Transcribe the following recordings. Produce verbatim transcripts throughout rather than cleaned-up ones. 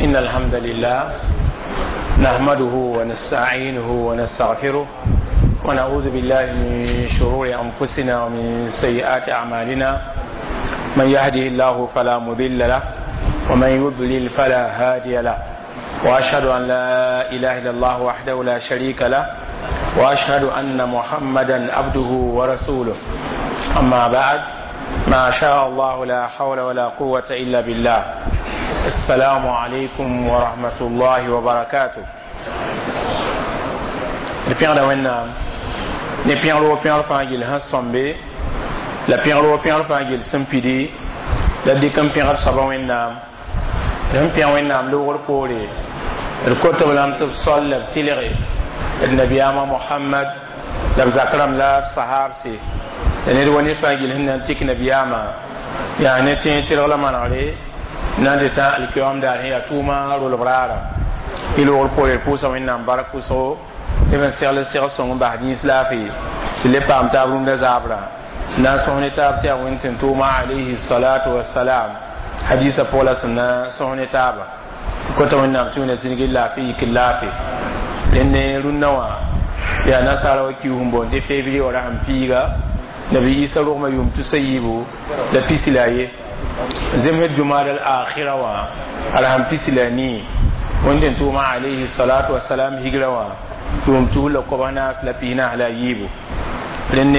إن الحمد لله نحمده ونستعينه ونستغفره ونعوذ بالله من شرور أنفسنا ومن سيئات أعمالنا. من يهده الله فلا مضل له ومن يضلل فلا هادي له، وأشهد أن لا إله إلا الله وحده لا شريك له، وأشهد أن محمدا عبده ورسوله. أما بعد، ما شاء الله لا حول ولا قوة إلا بالله. السلام عليكم ورحمة الله وبركاته. D pẽgda Wẽnnaam ne pẽgr wo pẽgr fãa gill sẽn sõmbe la pẽgr wo pẽgr fãa gill sẽn pidi la dɩk n pẽgd soaba Wẽnnaam. D sẽn pẽg Wẽnnaam loogr poore, d kot b lame tɩ b sol la b tɩlge d nabiyaamã Mohamad la b zak rãmb la b sahaabse la ned wa ned fãa gill sẽn na n tik nabiyaamã yaa ne tẽeg tɩlg la manegre na n tɩ tã alkiyoam daar sẽn yaa tʋʋma rolb raara. Y loogr poore d pʋʋsa Wẽnnaam bark pʋsgo tɩ b n segl segl sõng n bas yĩns laafɩ tɩ le paam taab rũndã zaabrã na n sõs ne taab tɩ yaa Wẽnd tɩ n tʋʋma alayhi salatu wasalam hadisa pʋg la sẽn na sõs ne taaba. Kota Wẽnnaam tɩ wẽna zĩnigi laafɩ yik laafɩ. Rẽnd rũndã wã yaa nasaara wa kius n boond tɩ février wã ra sẽn piiga nabi Isa rogmã yʋʋm tusa yiibu la pisi la a ye zemsd jumad al akhira wã a ra sẽn pisi la a nii Wẽnd tɩ n tʋʋma alayhi salatu wasalam higra wã yʋʋm tus la kobs naas la pis naas la a yiibu. Rẽnd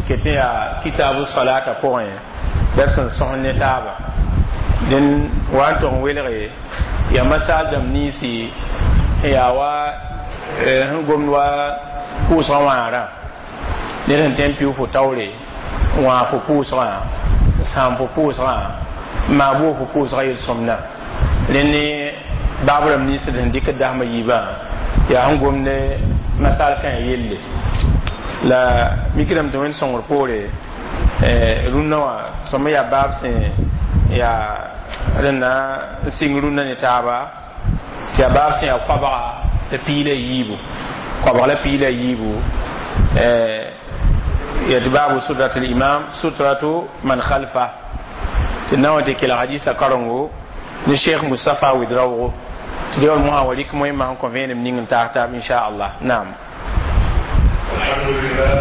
ket n yaa kitabu salata pʋgẽ la d sẽn sõs ne taaba. Dẽn wa n tog n welge yaa masaal dãmb ninsi n yaa wa sẽn gomd wa pʋʋsgã wãagrã. Ned sẽn tõe n pɩʋ fo taoore n wãag fo pʋʋsgã n sãam fo pʋʋsgã n maa boog fo pʋʋsgã yel-sõmdã. Rẽnd baab rãmb nins d sẽn dɩk dasmã yiibã yaa sẽn gomd masaal kãe yelle la mikdame tɩ Wẽnd sõngr poore rũndã wã sõm yaa baab sẽn yaa rẽnna n sɩng rũndã ne taaba tɩ yaa baab sẽn yaa koabga la pii la yiibu, koabg la pii la yiibu ya tɩ baabu sutrat limam sutratu man khalfa tɩ na wã tɩ kelg hadisa karengo ne Cheikh Moustapha Ouedraogo tɩ deool mosã wa rɩk moẽmã sẽn kõ vẽenem ning n taas taab inchallah. Naam. الحمد لله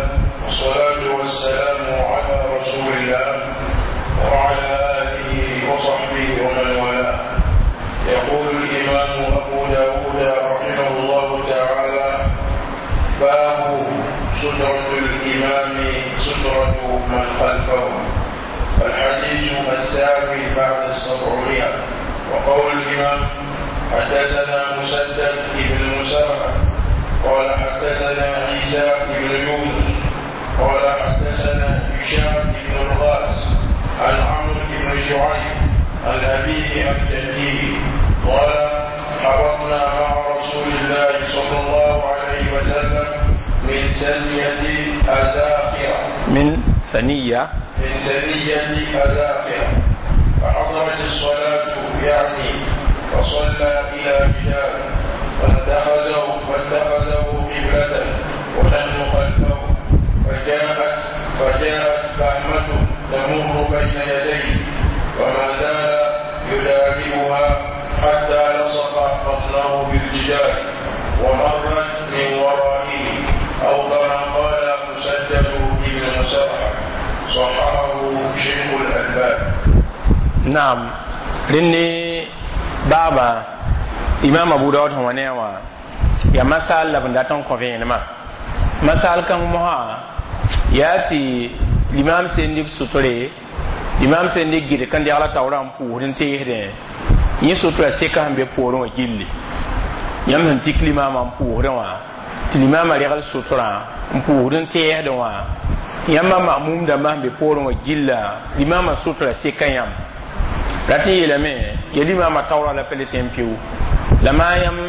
والصلاة والسلام على رسول الله وعلى آله وصحبه ومن والاه. يقول الإمام أبو داود رحمه الله تعالى: باب سترة الإمام سترة من خلفه. الحديث الثامن بعد السبعمائة. وقول الإمام: حدثنا مسدد بن مسرهد قال حدثنا عيسى بن يونس قال حدثنا هشام بن الغاز عن عمرو بن شعيب عن أبيه عن جده قال: حضرنا مع رسول الله صلى الله عليه وسلم من ثنية أزاقرة من ثنية من ثنية أزاقرة فحضرت الصلاة، يعني فصلى إلى جدار فاتخذه فاتخذه قبلة ونحن خلفه، فجاءت فجاءت بهمة تمر بين يديه وما زال يدابئها حتى لصق بطنه بالجدار ومرت من ورائه، أو كما قال مسدد بن مسرهد. صححه شيخ الألباني. Naam, rẽnd baaba imam Abu Daud sẽn wa ne wã yaa masaal la b n dat n kõ vẽenemã. Masaal kãng mosã yaa tɩ limam sẽn dɩk sʋtre, limam sẽn dɩk gɩdg n degla taoorã n pʋʋsd n teesdẽ yẽ sʋtra seka sẽn be poorẽ wã gilli. Yãmb sẽn tik limamã n pʋʋsdẽ wã tɩ limamã regl sʋtrã n pʋʋsd n teesdẽ wã yãmba mamum dãmbã sẽn be poorẽ wã gilla limamã sʋtra seka yãmb rat n yeelame ya limamã taoorã la pa le tẽ n pɩʋ la maa yãmb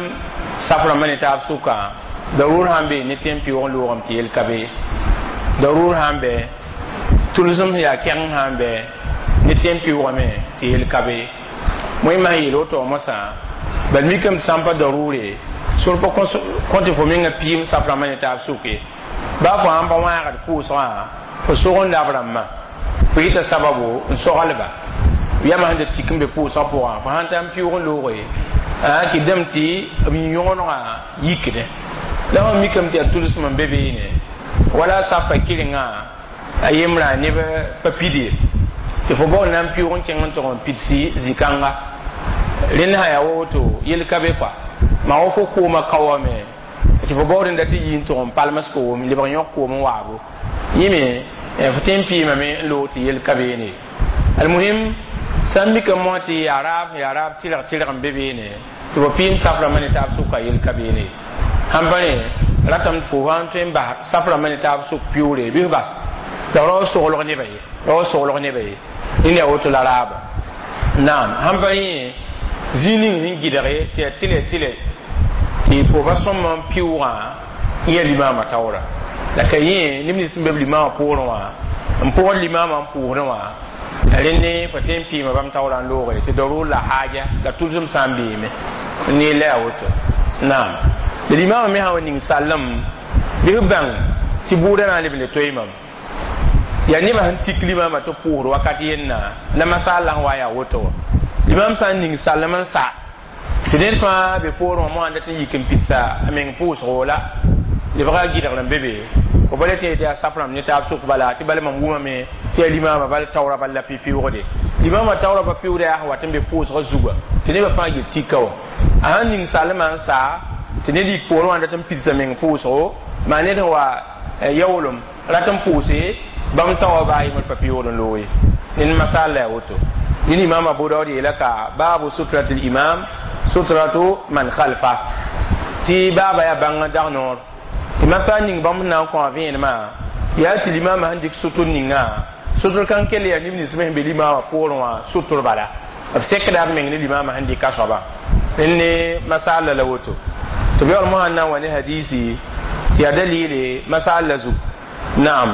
saf rãmbã ne taab sʋka darur sãn be ne tẽ n pɩʋg n loogame tɩ yel ka be darur sãn bɛ tʋlsem sẽn yaa kɛgeng sãn bɛ ne tẽ n pɩʋgame tɩ yel ka be moẽmã sẽn yeel woto mosã bal mikame tɩ sã n pa darure sor pa kõ tɩ fo menga piim saf rãmbã ne taab sʋke baa fo sãn pa wãagd pʋʋsgã fo sog n lab rãmbã fo yita sababu n soglba. yãmb sẽn da tik n be pʋʋsgã pʋgã fo sãn ta n pɩʋʋg n looge a kɩdame tɩ b yõgenegã yikdẽ la fõ mikame tɩ yaa tʋlsem n be beene wala sapa kɩrengã a yembrã neb pa pid ye tɩ fo baool na n pɩʋʋg n kẽng n tʋg n pidsi zĩ-kãnga rẽnd sã yaa wa woto yel ka be kɔa maa wa fo koomã ka wame tɩ fo baood n dat tɩ yi n tʋg n palms koom lebg yõk koom n waabo yẽ me fo tõe n pɩɩmame n loog tɩ yel ka beene almuhim sã n mikame mosã tɩ yaa raab yaa raab tɩrg tɩrg n be beene tɩ fo pɩɩm saf rãmbã ne taab sʋka yel ka beene sãn pa rẽ ratame fo sã n tõe n bas saf rãmbã ne taab sʋk pɩʋʋre bɩ f bas la rao soglg nebã ye rao soglg nebã ye rẽnd yaa woto la raaba naam sãn pa rẽ zĩig ning sẽn gɩdge tɩ yaa tɩlɛ tɩlɛ tɩ fo pa sõm n pɩʋʋgã n yaa limaamã taoora la ka yẽ neb nins sẽn be b limaamã poorẽ wã n pʋgd limaamã n pʋʋsdẽ wã rẽnd fo tõe n pɩɩma bãmb taoorã n looge tɩ darur la haaja la tʋlsem sã n beeme n neer la yaa woto naam la limaamã me sã wa ning sallem bɩ f bãng tɩ bʋʋda na n leb n le toe mam yaa nebã sẽn tik limaamã tɩ pʋʋsd wakat yenna la masaal la sẽn wa yaa woto wã limaam sã n ning sallem n sa tɩ ned fãa be poorẽ wã moasã dat n yik n pidsa a meng pʋʋsgo la lebga gɩdgr n be be fo pa le tẽ tɩ yaa saf rãmb ne taab sʋk bala tɩ bala mam wʋmame tɩ yaa limaamã bal taoora bal la pɩ-pɩʋʋgde limaamã taoora pa pɩʋʋda yaa sẽn wat n be pʋʋsgã zuga tɩ nebã fãa gil tika wã a sãn ning salemã n sa tɩ ned yik poorẽ wã n dat n pidsa meng pʋʋsgo maa ned sẽn wa yaoolem rat n pʋʋse bãmb tao baa yembr pa pɩʋʋd n loog ye ned masaal la yaa woto ned imam abu daud yeela ka baabu sutrati limam sutratu man khalfa tɩ baaba yaa bãng n dag noor tɩ masaal ning bãmb sẽn na n kõ a vẽenemã yaa tɩ limaamã sẽn dɩk sʋtr ninga sʋtr kãng kell yaa neb nins me sẽn be limaamã poorẽ wã sʋtr bala b sekda b meng ne limaamã sẽn dɩka soaba rẽnd ne masaal la la woto tɩ b yaool mosã n na n wa ne hadiisi tɩ yaa dalile masaal la zug naam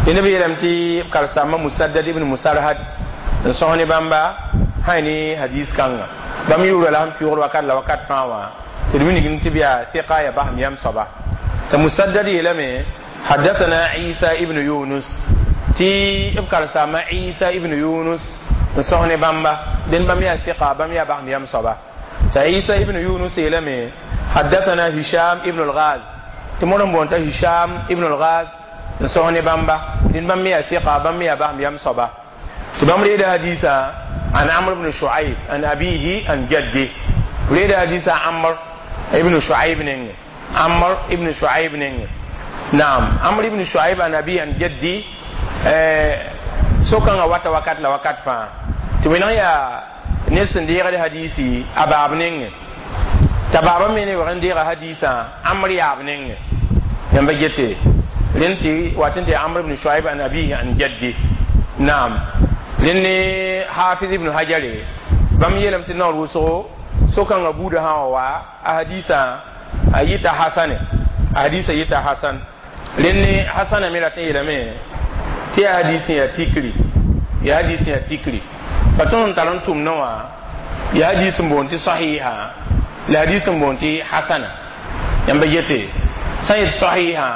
tɩ neb yeelame tɩ b karsaambã musaddad ibn musarhad n sõs ne bãmba sã ne hadis kãnga bãmb yʋʋra la sẽn pɩʋgd wakat la wakat fãa wã tɩ d wilgm tɩ b yaa tɩka ya basem yam soaba tɩ musaddad yeelame حدثنا عيسى ابن يونس تي ابكر سما عيسى ابن يونس نصحني بامبا دين بام يا ثقة بام يا بام يام صبا عيسى ابن يونس يلمي حدثنا هشام ابن الغاز تمرن بونتا هشام ابن الغاز نصحني بامبا دين بام يا ثقة بام يا بام يام صبا تبام ريد حديثا عن عمرو بن شعيب عن أبيه عن جده ريد حديثا عمرو ابن شعيب نين عمرو ابن شعيب نين نعم عمرو بن شعيب عن أبيه عن جدي sokãngã wata wakat la wakat fãa tɩ wẽneg yaa ned sẽn deegd hadisi a baab nengẽ t'a baabã me ne wag n deega hadisã amr yaab nengẽ yãmba gete rẽnd tɩ wat n tɩ amr ibn shuaib an abihi an jaddi naam rẽnd ne hafiz ibn hajare bãmb yeelame tɩ naoor wʋsgo sokãngã buudã sã wa wa a hadisã a yɩta hasane a hadisã yɩta hasan rẽnd ne hasana me rat n yeelame tɩ yaa hadis yaa tikri yaa hadis yaa tikri pa tõnd n tar n tʋmdã wã yaa hadis n boond tɩ sahiha la hadis n boond tɩ hasana yãmba gete sã n yet sahiha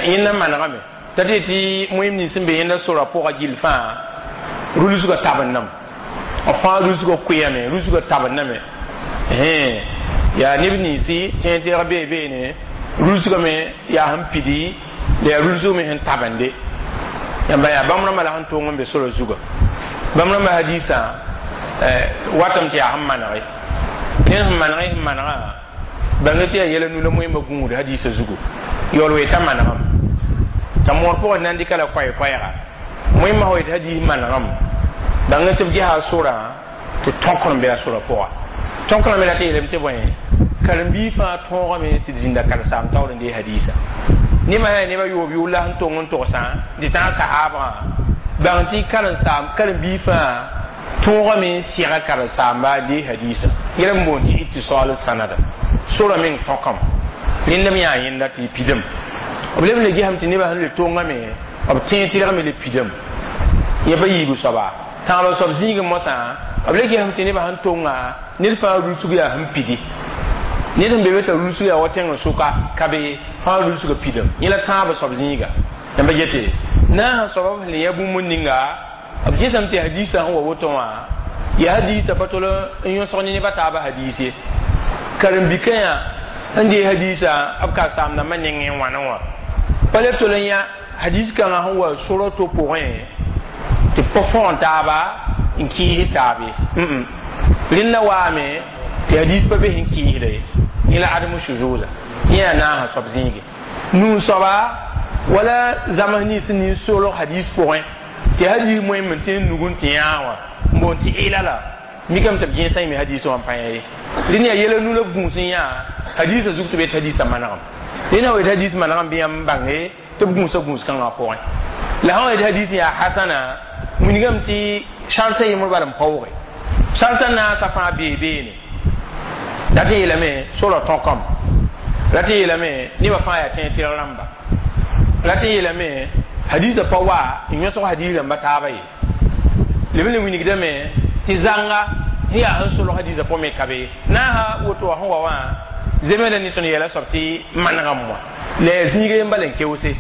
yẽnda manegame t'a tɩ tɩ moem nins n be yẽnda sora pʋga gill fãa rulsgã tabendame b fãa rulsgã koeame rulsgã tabendame yaa neb ninsi tẽeg tẽeg bee beene rulsgã me yaa sẽn pidi la yaa rulsg me sẽn tabende yãmba yaa bãmb rãmbã la sẽn tong n be sora zuga bãmb rãmbã hadisã watame tɩ yaa sẽn manege ned sẽn maneg sẽn manegã bãnga tɩ yaa yɛla nu la moẽmba gũud hadisã zugu yaool wee t'a manegame t'a moor pʋgẽ na n dɩka la koɛɛ-koɛɛga moẽmbã sã wa yetɩ hadis manegame bãnga tɩ b gesa a sorã tɩ tõkr n be a sorã pʋga tõkrã me rat n yeelame tɩ bõe karen-biig fãa tõogame sɩd zĩnda karen-saam taoor n dee hadisa nebã yaa nebã yoob yʋʋl la sẽn tong n togsã tɩ tãag sahaabgã bãng tɩ karen-saam karen-biig fãa tõogame n sɛga karen-saamba dee hadisa yɛla n boond tɩ ittisal sanada sora meng tõkame rẽnd m yaa yẽnda tɩ pidame b leb n le gesame tɩ nebã sẽn le tongame b tẽeg tɩrgame le pidame yẽ pa yiibu soaba tãabã soab zĩigẽ mosã b le gesame tɩ nebã sẽn tonga ned fãa rulsg yaa sẽn pidi ned sẽn be be t'a rulsg yaa wa tẽng sʋka ka be fãa rulsgã pidame yẽ la tãabã soab zĩiga yãmba gete na sã soaba sẽn le yã bũmb ninga b gesame tɩ hadisã sẽn wa woto wã Ya hadisa pa tol n yõsg ne nebã taabã hadis ye karen-bikã yã n dee hadisa b ka saam-dãmbã nengẽ wãna wã pa leb tol n yã hadis kãngã sẽn wa sora to pʋgẽ tɩ pa fõgen taaba n kɩɩs taab ye rẽnda waame tɩ hadis pa be sẽn kɩɩsda ye yẽ la adem shuzuza yẽ yaa naasã soab zĩige nuu soaba wala zams nins nin solg hadis pʋgẽ tɩ hadis moẽm n tẽ nug n tɩ yãag wã n boon tɩ ɩla la mikame tɩ b gẽesã yẽme hadis wã n pa yã ye rẽnd yaa yɛla nu la b gũus n yã hadisã zug tɩ b yet hadisã manegem rẽnd wa yet hadis manegem bɩ yãmb bãnge tɩ b gũusa gũus kãngã pʋgẽ la sã wa yet hadis yaa hasana wilgame tɩ sartã yembr bal n paooge sartã naasã fãa bee beene la tɩ yeelame sora tõkame la tɩ yeelame nebã fãa yaa tẽeg tɩrg rãmba la tɩ yeelame hadisã pa wa n yõsg hadis rãmba taaba ye leb n le wilgdame tɩ zãnga sẽn yaa sẽn solg hadisã pʋgẽ me ka be naasã woto wã sẽn wa wã zemeda ne tõnd yɛla soab tɩ manegame wã la yaa zĩiga yem bala n keoose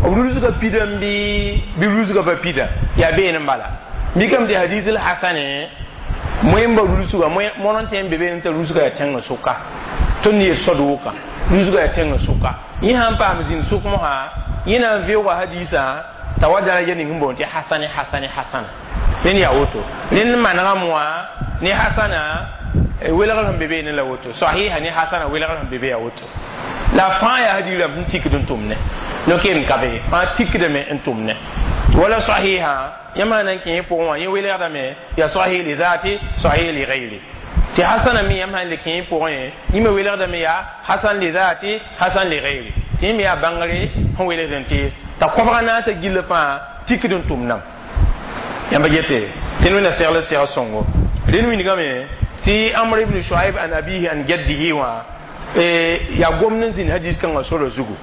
b rulsga pidame bɩ bɩ rulsga pa pida yaa been n bala mikame tɩ hadis l hasane moẽmba rulsga moan n tẽ n be beene t'a rulsga yaa tẽngã sʋka tõnd yet sod wʋka rulsga yaa tẽngã sʋka yẽ sãn paam zĩnd sʋk mosã yẽ na n veoogã hadisã t'a wa daraja ning sẽn boond tɩ hasane hasane hasana rẽnd yaa woto rẽnd manegame wã ne hasana welgr sẽn be beene la woto sahiha ne hasana welgr sẽn be be yaa woto la fãa yaa hadis rãmb sẽn tikd n tʋmne no-keem ka be fãa tikdame n tʋmne wala sahiha yãmb sã na n kẽ yẽ pʋgẽ wã yẽ welgdame yaa sahih li zati sahih li gayri tɩ hasana me yãmb sãn le kẽ yẽ pʋgẽ yẽ me welgdame yaa hasan li zati hasan li gayri tɩ yẽ me yaa bãngre sẽn welgd n tees t'a koabga naasã gill fãa tikd n tʋmdame yãmba gete tɩ wẽnna segl seg sõngo rẽnd wilgame tɩ Amr ibn Shuaib an abihi an jaddihi wã yaa gomd n zĩnd hadis kãngã sora zugu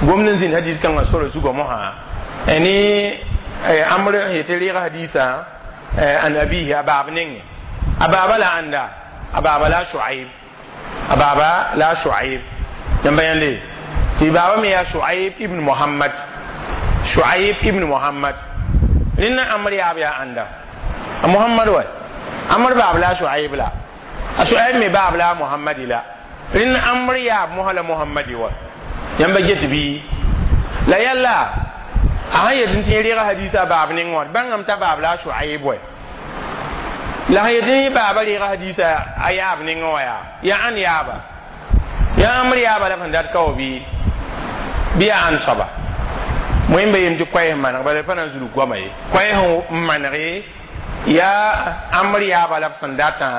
gomd n zĩnd hadis kãngã sora zugã mosã ne Amr yetɩ reega hadisã an abihi a baab nengẽ a baaba la ãnda a baaba la Shuaib a baaba la Shuaib yãmba yãnde tɩ baaba me yaa Shuaib ibn Muhammad Shuaib ibn Muhammad rẽnna Amr yaab yaa ãnda a Muhammad wa Amr baab la Shuaib la a Shuaib me baab la Muhammadi la rẽnd Amr yaab mosã la Muhammadi wa yãmba get bɩ la yalla a sãn yet n tɩ reega hadisa baab neng wã bãngame t'a baab la Shuaib wa la sãn yet n baaba reega hadisa a yaab nengẽ wã yaa yaa ãn yaaba yaa Amr yaaba la sẽn dat ka wa bɩ bɩ yaa ãn soaba moẽmba yem tɩ koɛɛs maneg bala pa na n zulg goama ye koɛɛs n manege yaa Amr yaaba la b sẽn datã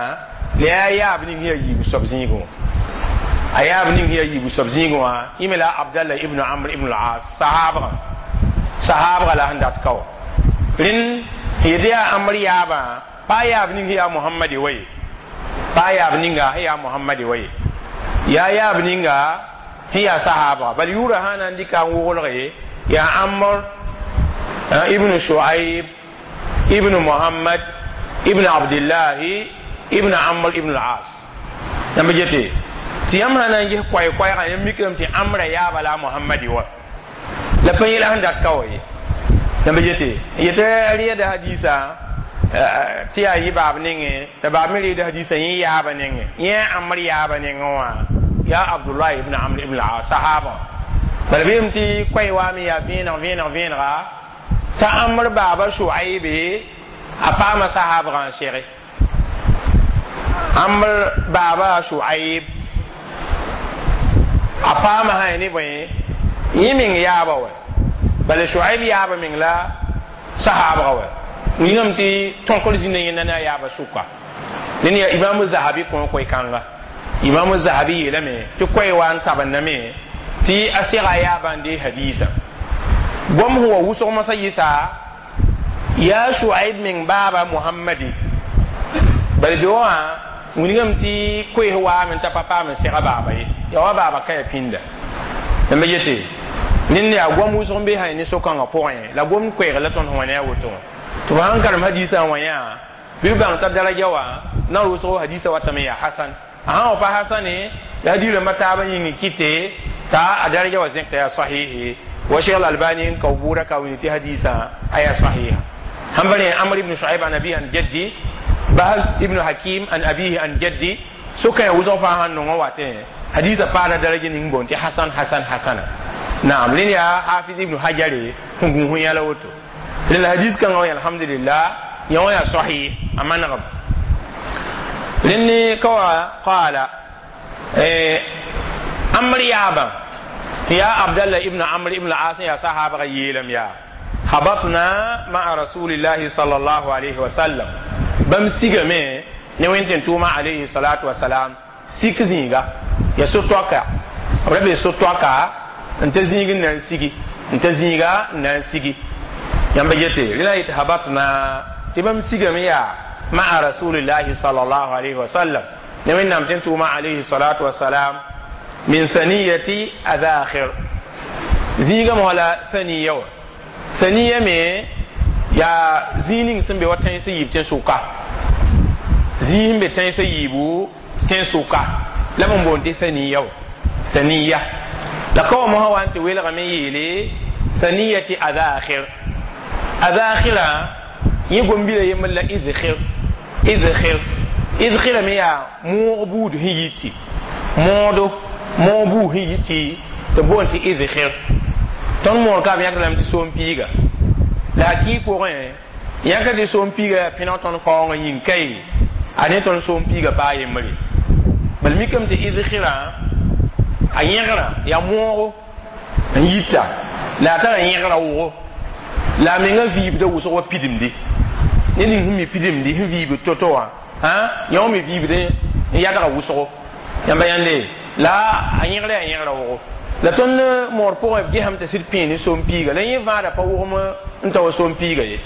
la yaa yaab ning yaa yiib soab zĩigẽ wã a yaab ning yaa yiib soab zĩigẽ wã yẽ me la Abdallah ibn Amr ibn al-As sahaabgã sahaabgã la sẽn dat ka wã rẽnd yetɩ yaa Amr yaabã pa yaab ning yaa Muhammadi wa ye pa yaab ninga sẽn yaa Muhammadi wa ye yaa yaab ninga sẽn yaa sahaabga bal yʋʋra sã na n dɩka n woglge yaa Amr ibn Shuaib ibn Muhammad ibn Abdillahi ibn Amr ibn al-As yãmb gete tɩ yãmb sã na n ges koɛɛ-koɛɛgã yãmb mikame tɩ Amra yaaba la a Muhammadi wa la pa yẽla sẽn dat ka wa ye yãmb gete yetɩ reeda hadisa tɩ yaa yɩ baab nengẽ la baab me reeda hadisa yẽ yaaba nengẽ yẽ Amr yaaba nengẽ wã yaa Abdullah ibn Amr ibn al-As sahaabã bala bɩ tɩ koɛɛ waame yaa vẽeneg vẽeneg vẽenega t'a Amr baaba Shuaibe a paama sahaabgã n sege Amr baaba Shuaib a paama sã ne bõe yẽ meng yaaba wa bala Shuaib yaaba meng la sahaabga wa wilgame tɩ tõkr zĩnda yẽnda ne a yaaba sʋka ned yaa Imam Zahabi kõ koe-kãnga Imam Zahabi yeelame tɩ koɛɛ wa n tabendame tɩ a sega yaaba n dee hadisa gom sẽn wa wʋsg mosã yɩsa yaa Shuaib meng baaba Muhammadi bala be wã wilgame tɩ koees waame t'a pa paam n sega baaba ye yaa wa baaba ka ya pĩnda yãmba yete ned yaa gom wʋsg n be sã ne so-kãngã pʋgẽ la gom koɛɛg la tõnd sẽn wa ne a woto wã tɩ f sãn karem hadisã wã yã bɩ b bãng t'a daraja wã na wʋsgo hadisã watame yaa hasan a sã wa pa hasane la hadis rãmbã taabã yĩng kɩte t'a a daraja wa zẽkta yaa sahihi wa Cheikh Albani n kao bʋʋra ka wilg tɩ hadisã a yaa sahiha sãn pa rẽ Amr ibn Shuaib an abi an jaddi Bahz ibn Hakim an abihi an jaddi sokã yaa wʋsg fãa sãn nong wa tẽ hadisa paada daraja ning boon tɩ hasan hasan hasana. Naam, rẽnd yaa Hafiz ibn Hajare sẽn gũus n yãla woto. Rẽnd hadis kãngã wã, alhamdulillah, yã wã yaa sahih, a manegem. Rẽnd ne ka wa qaala Amr yaabã tɩ yaa Abdallah ibn Amr ibn As, yaa sahaabga yeelame yaa: habatna maa rasulillahi sallallahu alayhi wa sallam, bãmb sigame ne wẽn tʋʋma alayhi salatu wasalam sik zĩiga ya so-toaka, b ra be so-toaka n ta zĩig n na n sigi, n ta zĩiga n na n sigi. Yãmba yete rẽ la yetɩ habatna, tɩ bãmb sigame yaa maa rasulillahi sallallahu alayhi wa sallam ne wẽnnaam tɩ n tʋʋma alayhi salatu wasalam min thaniyati adakhir, zĩiga mosã la thaniya wã. Thaniya me yaa zĩig ning sẽn be wa tẽns yiib tẽn-sʋka, zĩig sẽn be tẽns yiibu tẽn-sʋka la b n boond tɩ thaniya wã, thaniya. La ka wa mosã wa n tɩ welgame yeele thaniyati adakhir. Adakhira yẽ gom-bila yembr la idkhir, idkhir, idkhira me yaa moog buud sẽn yiti moodo, moog buud sẽn yiti tɩ boond tɩ idkhir. Tõnd moor ka b yãk lame tɩ soom piiga, la a kɩ pʋgẽ yãka tɩ soom piiga yaa pẽneg tõnd kaoongã yĩng kae a ne tõnd soom piiga paa yembre. Bal mikame tɩ idkhirã a yẽgrã yaa moogo n yita, la a tara yẽgrã wʋgo, la a menga vɩɩbda wʋsg wa pidimdi ned ning sẽn mi pidimdi sẽn vɩɩbd to-to wã, yã wã me vɩɩbd n yadga wʋsgo. Yãmba yãnde la a yẽgra yaa yẽgrã wʋgo. La tõnd moor pʋgẽ b gesame tɩ sɩd pẽe ne soom piiga, la yẽ vãada pa wʋgem n ta wa soom piiga ye,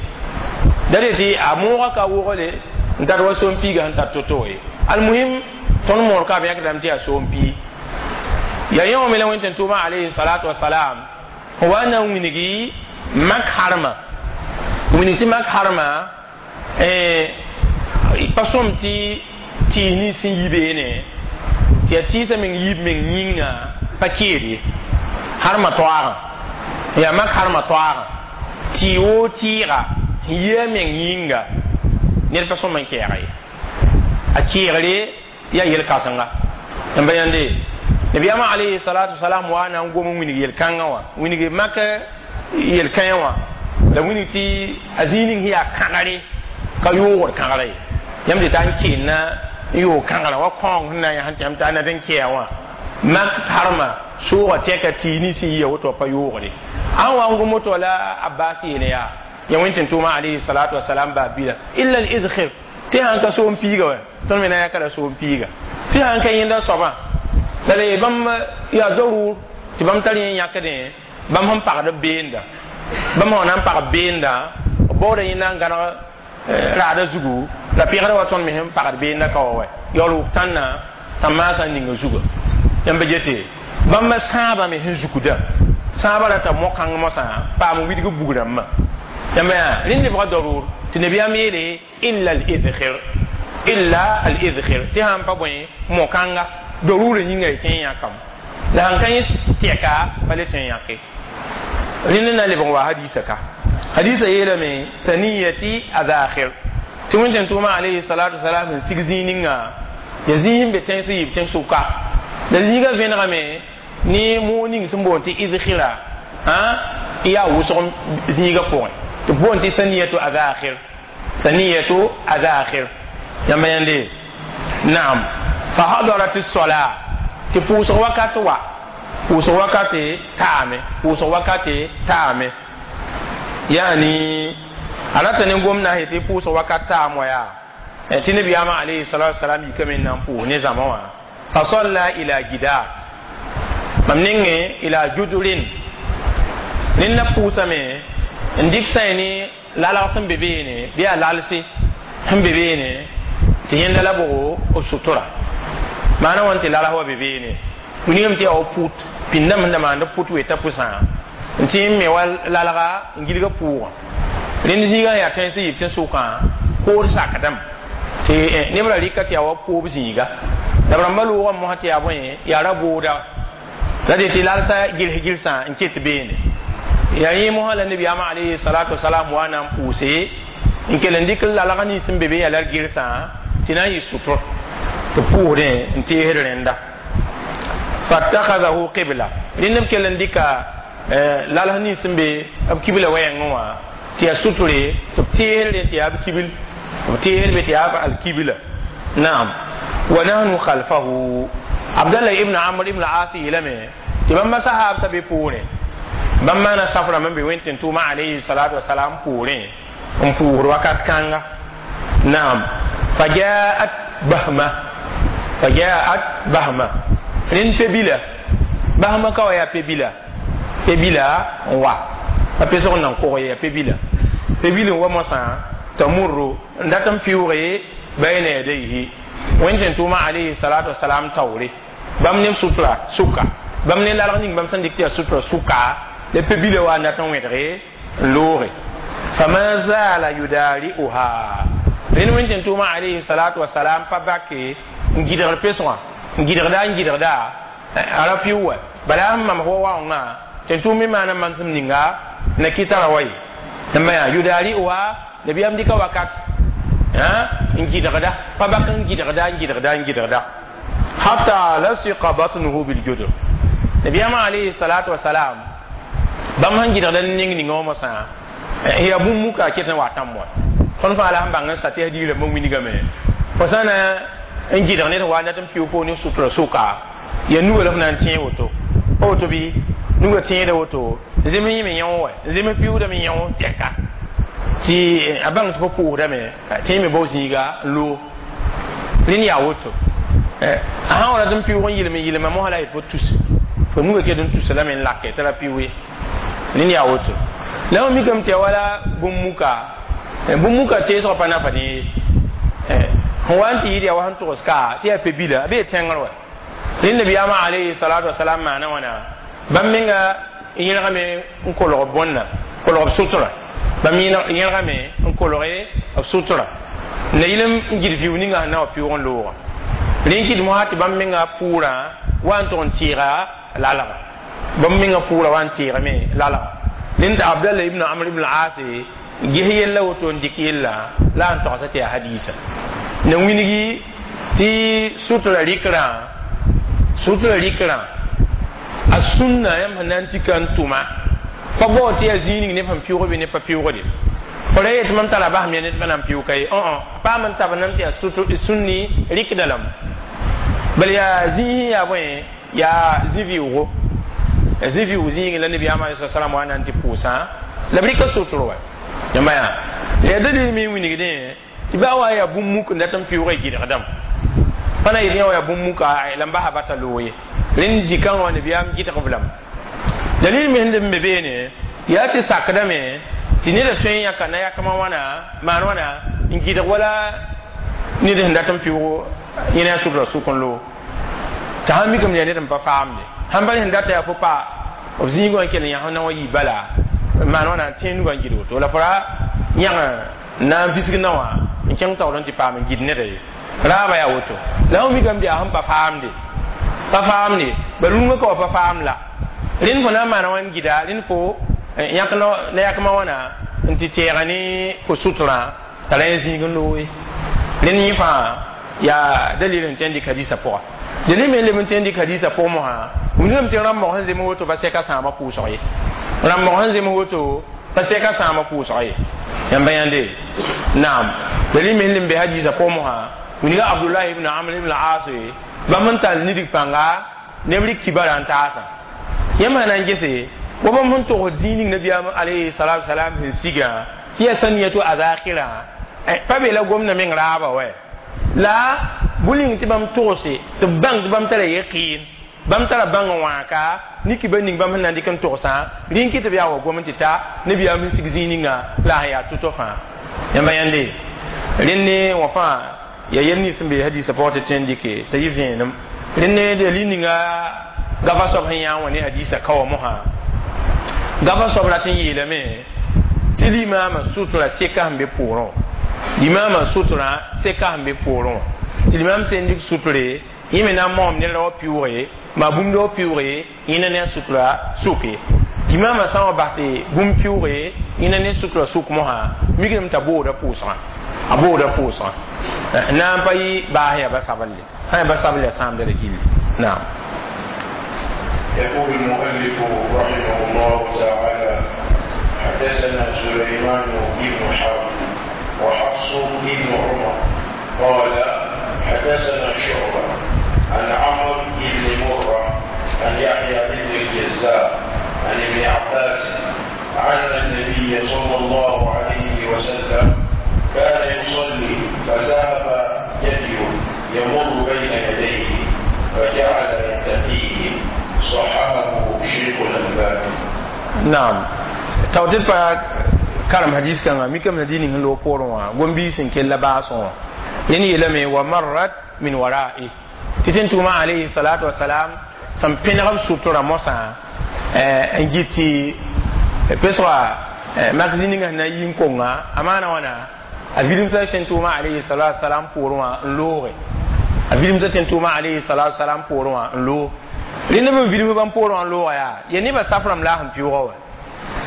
da de tɩ a moogã ka wʋgle n tar wa soom piiga sẽn tar to-to ye. Almuhim, tõnd moor ka b yãkdame tɩ yaa soom pii. Yaa yẽ wã me la wẽn tɩ tʋʋma alayhi salatu wasalam wa na n wilgi mak harma, wilg tɩ mak harma pa sõm tɩ tɩɩs nins sẽn yi beene, tɩ yaa tɩɩsã meng yiib meng yĩnga pa keed ye. Harma toaagã yaa mak harma toaagã, tɩ woo tɩɩga sẽn yi a meng yĩnga ned pa sõm n kɛɛga ye, a keegre yaa yel-kãsenga. Yãmba yãnde nabiyaamã alayhi salatu wasalam wa na n gom n wilg yel-kãngã wã, wilg mak yel-kãyã wã, la wilg tɩ a zĩig ning sẽn yaa kãgre ka yoogd kãgra ye. Yãmb tɩ ta n keenna n yoog kãgrã wa kõong sẽn na n yaa sẽn tɩ yãmb t'a nat n kɛa wã mak harma soogã tɛka tɩ nins sẽn yia woto pa yoogre. Ãn wa n gom woto la Abbas yeele yaa ya wẽn tɩ tʋʋma alayhi salatu wasalam baa bila illa al idkhir, tɩ sãn ka soom piiga wa, tõnd me na yãka la soom piiga tɩ sãn ka yẽnda soabã la le bãmb yaa darur tɩ bãmb tar yẽ yãkdẽ bãmb sẽn pagd b beenda, bãmb sã na n pag beenda b baooda yẽnda n gãneg raada zugu la pẽgda wa tõnd me sẽn pagd beenda ka wa wa yaool wʋk tãnna tã maasã ninga zuga. Yãmba gete bãmb sãabã me sẽn zukda sãabã rata mo-kãng mosã paam widg bug rãmbã. Yãmba yaa rẽnd lebga darur tɩ nabiyaam yeele illa al idkhir, illa al idkhir, tɩ sãn pa bõe mo-kãnga darurã yĩnga y tõe n yãkame, la sãn ka yẽ tɛka pa le tõe n yãke. Rẽnd na lebg wa hadisa ka hadisa yeelame thaniyati adakhir, tɩ wẽn tʋʋma alayhi salatu wasalam sẽn sig zĩig ninga ya zĩig sẽn be tẽns yiib tẽn-sʋka, la zĩigã vẽnegame ne moog ning sẽn boond tɩ idkhira n yaa wʋsg zĩigã pʋgẽ tɩ boond tɩ thaniyatu adakhir, thaniyatu adakhir. Yãmba yãnde naam fahadarat sola, tɩ pʋʋsg wakat wa, pʋʋsg wakate taame, pʋʋsg wakate taame, yaani a rata ne gomna tɩ pʋʋsg wakat taam wa yaa tɩ nabiyaamã alayhi salatu wasalam yikame n na n pʋʋs ne zãma wã fasalla ila gidar mam nengẽ ila judurin. Rẽnd na pʋʋsame n dɩk sã ne lalg sẽn be beene bɩ yaa lalse sẽn be beene tɩ yẽnda la bʋgo b sutura maana wãn tɩ lalg wa be beene wilgame tɩ yaa wa put pĩndame sẽn da maand put weta pʋsã n tɩ n me wa lalga n gilga pʋʋgã. Rẽnd zĩigã yaa tẽns yib tẽ sʋkã kood sakdame tɩ neb ra rɩka tɩ yaa wa poob zĩiga la b rãmba loogã mosã tɩ yaa bõe yaa ra booda la de tɩ lalsa gils gilsã n ket beene. Yaa yẽ mosã la nabiyaamã alayhi salatu wasalam wa na n pʋʋse N kell n dɩk lalg nins sẽn be be yaa la gɩrsã tɩ na n yɩ sʋtr tɩ pʋʋsdẽ n teesd rẽnda. Fattakhadahu qibla, rẽnd b kell n dɩka lalg nins sẽn be b kibla wɛɛngẽ wã tɩ yaa sutre, tɩ b teesd rẽ tɩ yaa b kibil, b teesd be tɩ yaa b alkibla. Naam, wa nahnu khalfahu. Abdallah ibn Amr ibn As yeelame tɩ bãmba sahaabsã be poorẽ, bãmb maana saf rãmb n be wẽn tʋʋma alayhi salatu wasalam poorẽ n pʋʋsd wakat kãnga. Naam, fajaat bahma, fajaat bahma, rẽnd pe-bila, bahma ka wa yaa pe-bila, pe-bila n wa pa pesg n nan kog ye, yaa pe-bila, pe-bil n wa moasã, tamurru, n dat n pɩʋʋge, bayna yadayhi, wẽn tʋʋma alayhi salatu wasalam taoore, bãmb ne sutra sʋka, bãmb ne lalg ning bãmb sẽn dɩk tɩ yaa sutra sʋka la pe-bila wa n dat n wẽdge n looge. Fama zala yudari'uha, rẽnd wẽn tʋʋma alayhi salatu wasalam pa bake n gɩdgr pesgã, n gɩdgda, n gɩdgda a ra pɩʋ wa bala sẽn mamg wa waoongã tɩ tʋʋm me maana manesem ninga na kɩ tara wa ye n yaa yudari'uha. Nabiyaam dɩka wakat n gɩdgda, pa bak n gɩdgda, n gɩdgda, n gɩdgda, hatta lasiqa batnuhu biljudr. Nabiyaam alayhi salatu wasalam bãmb sẽn gɩdgda ning ninga wã mosã yaa bũmb muka a ket n wa tãmb wa. Tõnd fãa la sẽn bãng n sa tɩ yaa digrãmbã wilgame, fo sã na n gɩdg ned wa dat n pɩʋ poor ne sutra sʋka, yaa nuga la f na n tẽeg woto, pa woto bɩ nuga tẽeda woto, zem yẽ me yão wa, zem pɩʋʋdame yão tɛka tɩ a bãng tɩ fo pʋʋsdame tɩ me bao zĩiga n loog. Rẽnd yaa woto, a sã wa rat n pɩʋʋg n yɩlem yɩlma mosã la yet fo tus, fo nuga ket n tusa lame n lake t'a ra pɩʋ ye. Rẽnd yaa woto la f mikame tɩ ya wala bũmb muka, bũmb muka teesgã pa nafa ne sẽn wa n tɩ yɩɩd yaa wa sẽn togs ka tɩ yaa pe-bila a bee tẽngr wa. Rẽnd nabiyaamã alayhi salatu wasalam maana wãna, bãmb menga yẽlgame n kolg bõnna, kolg b sutra, bãmb yẽlgame n kolge b sutra na yɩl n gɩd vɩʋ ninga sẽn na wa pɩʋg n loogã. Rẽn kɩt mosã tɩ bãmb menga pʋʋrã wa n tʋg n tɩɩga lalga, bãmb menga pʋʋrã wa n tɩɩgame lalga. Rẽnd Abdallah ibn Amr ibn As ges yella woto n dɩk yella la n togsa tɩ yaa hadiisa na wilgi tɩ sutra rɩkrã, sutra rɩkrã a sũnna yãmb sẽn na n tika n tʋma pa bao tɩ yaa zĩig ning neb sẽn pɩʋg bɩ neb pa pɩʋgde. Fo ra yet mam tara basem ya ned pa na n pɩʋg ka ye, paam n tab nam tɩ yaa sũnni rɩkda lame, bala yaa zĩig yaa bõe, yaa zĩ-vɩʋʋgo, zĩ-vɩʋʋg zĩigẽ la nabiyaamã alai salam wa na n tɩ pʋʋsã la b rɩka sotr wa. Yãmba yaa yaa dalil me wilgdẽ tɩ baa wa yaa bũmb muk n dat n pɩʋg gɩdgdame, pa na yetɩ yã wa yaa bũmb muka la n basa bata loog ye. Rẽnd zĩ-kãngã wã nabiyaam gɩdg b lame. Dalil me sẽn d be beene yaa tɩ sakdame tɩ neda tõe n yãka na yakmã wãna maan wãna n gɩdg wala ned sẽn dat n pɩʋg yẽna a sutra sʋk n loog, t'a sãn mikame yaa ned n pa faamde sãn bal sẽn data yaa fo pa b zĩig wã n kell n yãs na wã yɩ bala maan wãna tẽ nugã n gɩd woto la fo ra yãg na n visg na wã n kẽng taoor n tɩ paam n gɩd neda ye. Raaba yaa woto la fõ mikame tɩ yaa sẽn pa faamde, pa faamde ba rũngã ka wa pa faam la rẽnd fo na n maana wã n gɩda rẽnd fo yãk na yakmã wãna n tɩ tɛɛga ne fo sutrã t'a ra yẽ zĩig n loog ye. Rẽnd yẽ fãa yaa dalil n tõe n dɩk hadiisã pʋga. Dalil me n leb n tõe n dɩk hadiisã pʋg mosã wilgame tɩ rãmbg sẽn zems woto pa sɛka sãamã pʋʋsg ye, rãmbg sẽn zems woto pa sɛka sãamã pʋʋsg ye. Yãmba yãnde, naam, dalil me n leb n be hadiisã pʋg mosã wilga Abdullah ibn Amr ibn As bãmb n tall nidg pãnga neb rɩk kibara n taasã. Yãmb sã na n gese wa bãmb sẽn togsd zĩig ning nabiyaam alayhi salatu wasalam sẽn sigã tɩ yaa saniyatu azakirã pa be la gomdã meng raaba wɛ la bʋ-ning tɩ bãmb togse tɩ b bãng tɩ bãmb tara yaqin, bãmb tara bãng n wãaka ne kiba ning bãmb sẽn na n dɩk n togsã rĩn kɩ tɩ b yaa wa gom n tɩ ta nabiyaam sẽn sig zĩig ninga la sẽn yaa tʋ-tʋ fãa. Yãmba yãnde, rẽnd ne wã fãa yaa yel nins sẽn be hadiisã pʋgẽ tɩ tõe n dɩke t'a yɩ vẽenem. Rẽnd ne dalil ninga gafa soab sẽn yã n wã ne hadiisã ka wa mosã, gafa soab rat n yeelame tɩ limaamã sutra seka sẽn be poorẽ, limaamã sutra seka sẽn be poorẽ wã, tɩ limaam sẽn dɩk sutre yẽ me na n maoom ned ra wa pɩʋʋge maa bũmb wa pɩʋʋge yẽna ne a sutra sʋke. Limaamã sã n wa bas tɩ bũmb pɩʋʋge Yẽna ne sutra sʋk mosã mikdame t'a booda pʋʋsgã, a booda pʋʋsgã na n pa yɩ baas yaa ba sablle, sã yaa ba sabl yaa sãamda la gilli. Naam. يقول المؤلف رحمه الله تعالى: حدثنا سليمان بن حرب وحفص بن عمر قال حدثنا شعبة عن عمرو بن مرة عن يحيى بن الجزار عن ابن عباس أن النبي صلى الله عليه وسلم كان يصلي فذهب جدي يمر بين يديه فجعل يتقيه. صححه شيخ الألباني. Naam, tao tɩ pa karem hadis kãngã mikame na dĩig ning sẽn loog poorẽ wã gom-biis sẽn kell baasẽ wã. Rẽnd yeelame wa marrat min wara'i, tɩ tẽn-tʋʋmã alayhi salatu wasalam sẽn pẽneg b sutura mosã n gɩt tɩ pesga mak zĩ ninga sẽn na n yi n konga a maana wãna a vidimsã tẽn-tʋʋmã alayhi salatu wasalam poorẽ wã n looge, a vidimsã tẽn-tʋʋmã alayhi salatu wasalam poorẽ wã n loog. Rẽnd b vidimsã bãmb poorẽ wã n looga yaa ya nebã saf rãmb la sẽn pɩʋʋga wa.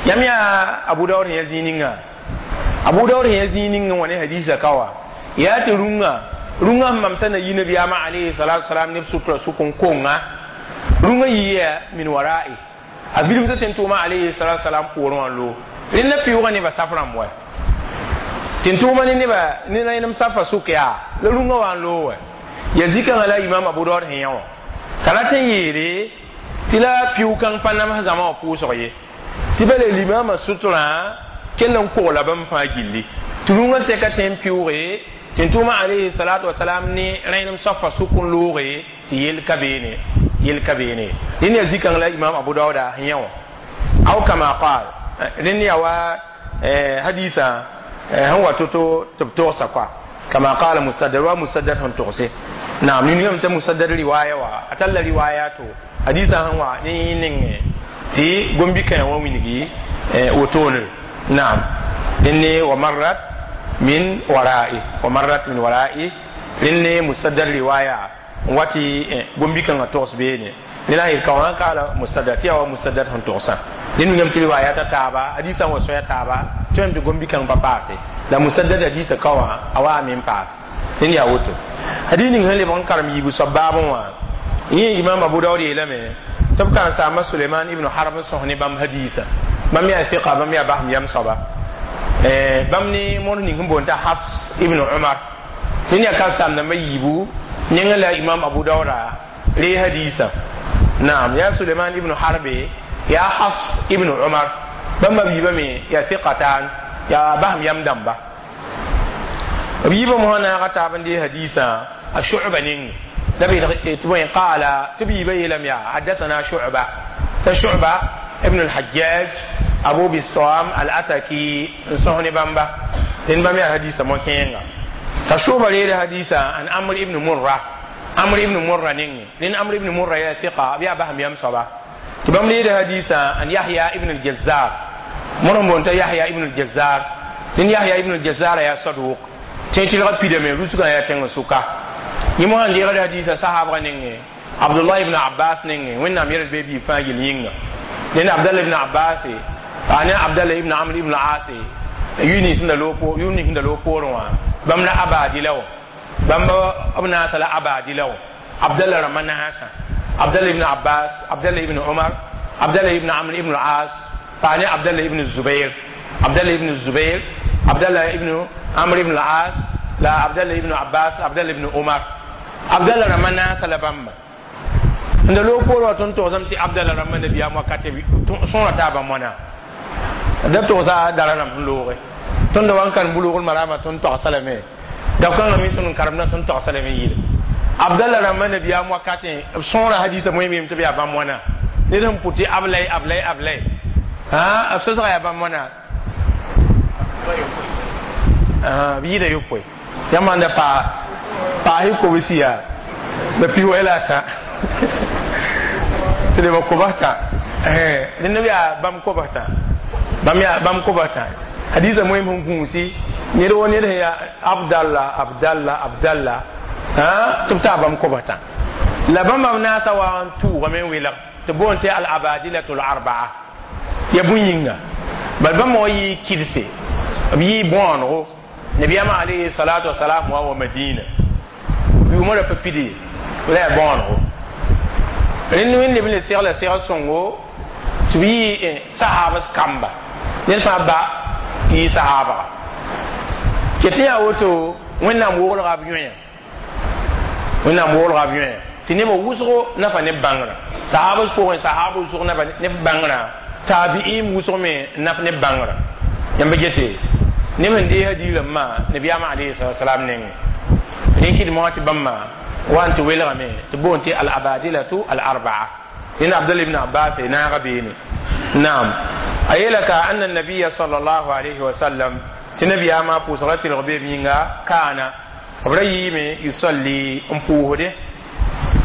Yãmb yaa Abu Daood sẽn ya zĩig ninga, Abu Daood sẽn ya zĩig ninga wã ne hadisa ka wa yaa tɩ rũngã rũngã sẽn mamsa na yi nabiyaamã alayhi salatu wasalam neb sutura sʋk n konga rũngã yiya min wara'i, a vidimsã tẽn-tʋʋmã alayhi salatu wasalam poorẽ wã n loog. Rẽnd la pɩʋʋga nebã saf rãmb wa tẽn-tʋʋmã ne neba ne rẽnem safa sʋk yaa la rũngã wa n loog wa ya zikãngã la imam Abu Daood sẽn yã wã t'a rat n yeere tɩ la pɩʋ-kãng pa nams zãma wã pʋʋsg ye tɩ ba le limama sutrã kell n kogla bãmb fãa gilli tɩ rũngã sɛka tẽ n pɩʋʋge tẽn-tʋʋmã alayhi salatu wasalam ne rẽnem safa sʋk n looge tɩ yell ka beene, yell ka beene. Rẽnd yaa zikãng la imam Abu Daoda sẽn yã wã aw kama qal. Rẽnd yaa wa hadisa sẽn wa to-to tɩ b togsa koa kama qala Musaddad wa Musaddad sẽn togse. Naam, ningame t'a Musaddad riwaya wa a talla riwaya to hadisa sẽn wa ne yẽ nengẽ tɩ gom-bi-kãe wã wilgi wotone. Naam, rẽnd ne wa marrat min wara'i, wa marrat min wara'i. Rẽnd ne Musaddad riwaya n wa tɩ gom-bi-kãngã togs beene ne la yel ka wã kaala Musaddad tɩ yaa wa Musaddad sẽn togsã. Rẽnd wingame tɩ riwaya ta taaba hadisã wa soaya taaba tõem tɩ gom-bi-kãng pa paase la Musaddad hadisa ka wã a wa me n paas. Rẽnd yaa woto hadis ning sẽn lebg n karem yiibu soab baabẽ wã yẽ imam Abu Daood yeelame tɩ b karen-saamba Suleiman ibn Harb n sõs ne bãmb hadisa bãmb yaa fiqa, bãmb yaa basem yam soaba, bãmb ne mõrs ning sẽn boond t'a Hafs ibn Umar. Rẽnd yaa karen-saam dãmbã yiibu yẽngã la imam Abu Daooda ree hadisa. Naam, yaa Suleiman ibn Harbe, yaa Hafs ibn Umar, bãmba b yiibame yaa fiqatan, yaa basem yam dãmba. B yiibã mosã naaga taab n dee hadisã a Shu'ba ning la b tɩ bõe qaala tɩ b yiibã yeelame yaa hadathana Shu'ba, t'a Shu'ba ibn al-Hajjaj Abu Bistam al-Ataki n sõs ne bãmba. Rẽnd bãmb yaa hadisa mo-kẽenga t'a Shu'ba reeda hadisa an Amr ibn Murra, Amr ibn Murra ning. Rẽnd Amr ibn Murra yaa fiqa, b yaa basem yam soaba tɩ bãmb reeda hadisa an Yahya ibn al-Jazzar mõr n boond t'a Yahya ibn al-Jazzar. Rẽnd Yahya ibn al-Jazzar yaa saduq tẽ tɩlga pidame rusgã yaa tẽng sʋka. Yẽ mosã n deegd hadisa sahabga nengẽ Abdullah ibn Abbas nengẽ Wẽnnaam yɛl b bee fãa gill yĩnga. Rẽnd Abdallah ibn Abbas a ne Abdallah ibn Amr ibn As yʋ nins sẽn da loog yʋ nins sẽn da loog poorẽ wã bãmb la abadila wã bãmb b naasa la abadila wã Abdallah rãmbã naasã Abdallah ibn Abbas, Abdallah ibn Umar, Abdallah ibn Amr ibn As pa ne Abdallah ibn Zubair, Abdallah ibn Zubair, Abdallah ibn Amr ibn As la Abdallah ibn Abbas, Abdallah ibn Umar, Abdallah rãmbã naasa la bãmba n da loog poorẽ wã tõnd togsame tɩ Abdallah rãmbã nabiyaam wakate sõora taabã moana da togsa dara rãmb sẽn looge tõnd wa n karem Bulugl Marama tõnd togsa lame dao-kãngã me tõnd n karemdã tõnd togsa lame yɩle Abdallah rãmbã nabiyaam wakatẽ b sõora hadisa moe meem tɩ b yaa bãmb wãna ned sẽn pʋ tɩ ablay ablay ablay b sʋsga yaa bãmb wãna b yɩɩda yopoe yãmb sãn da paa paasɩ kobsi yaa la piwɛ la a tã tɩ leba kobs tã rẽnd b yaa bãmb kobs tã bãmb yaa bãmb kobs tã hadisa moeem sẽn gũusi ned wo ned sẽn yaa Abdallah Abdallah Abdallah tɩ b taa bãmb kobs tã la bãmba b naasa wa n tʋʋgame n welg tɩ boond tɩ al abadilatu l arbaa ya bũn yĩnga Bal bãmb wa yɩ kɩdse, b yɩ bõonego. Nabiyaamã alayhi salatu wasalam wa wa Madina, yʋʋmã ra pa pid ye, la yaa bõonego. Rẽnd wẽnd leb n le segla segl sõngo tɩ b yɩ sahabs kamba, ned fãa ba yɩ sahabaga ket tɩ yaa woto. Wẽnnaam woglga b yõya, Wẽnnaam woglga b yõya tɩ nebã wʋsgo nafa ne bãngrã. Sahabs pʋgẽ, sahab wʋsg nafa ne bãngrã, taabiim wʋsg me naf ne bãngrã. Yãmb gete neb n dees hadiirãmbã nabiyaamã alayhi salam nengẽ. Rẽ kɩd mosã tɩ bãmba wa n tɩ welgame tɩ boond tɩ al abadilatu al arbaa. Ned Abdullah ibn Abbas naaga beene. Naam, a yeela ka anna nabiya sallallahu alayhi wa sallam, tɩ nabiyaamã pʋʋsgra tɩlg beem yĩnga, kaana b ra yɩɩme yusalli n pʋʋsde.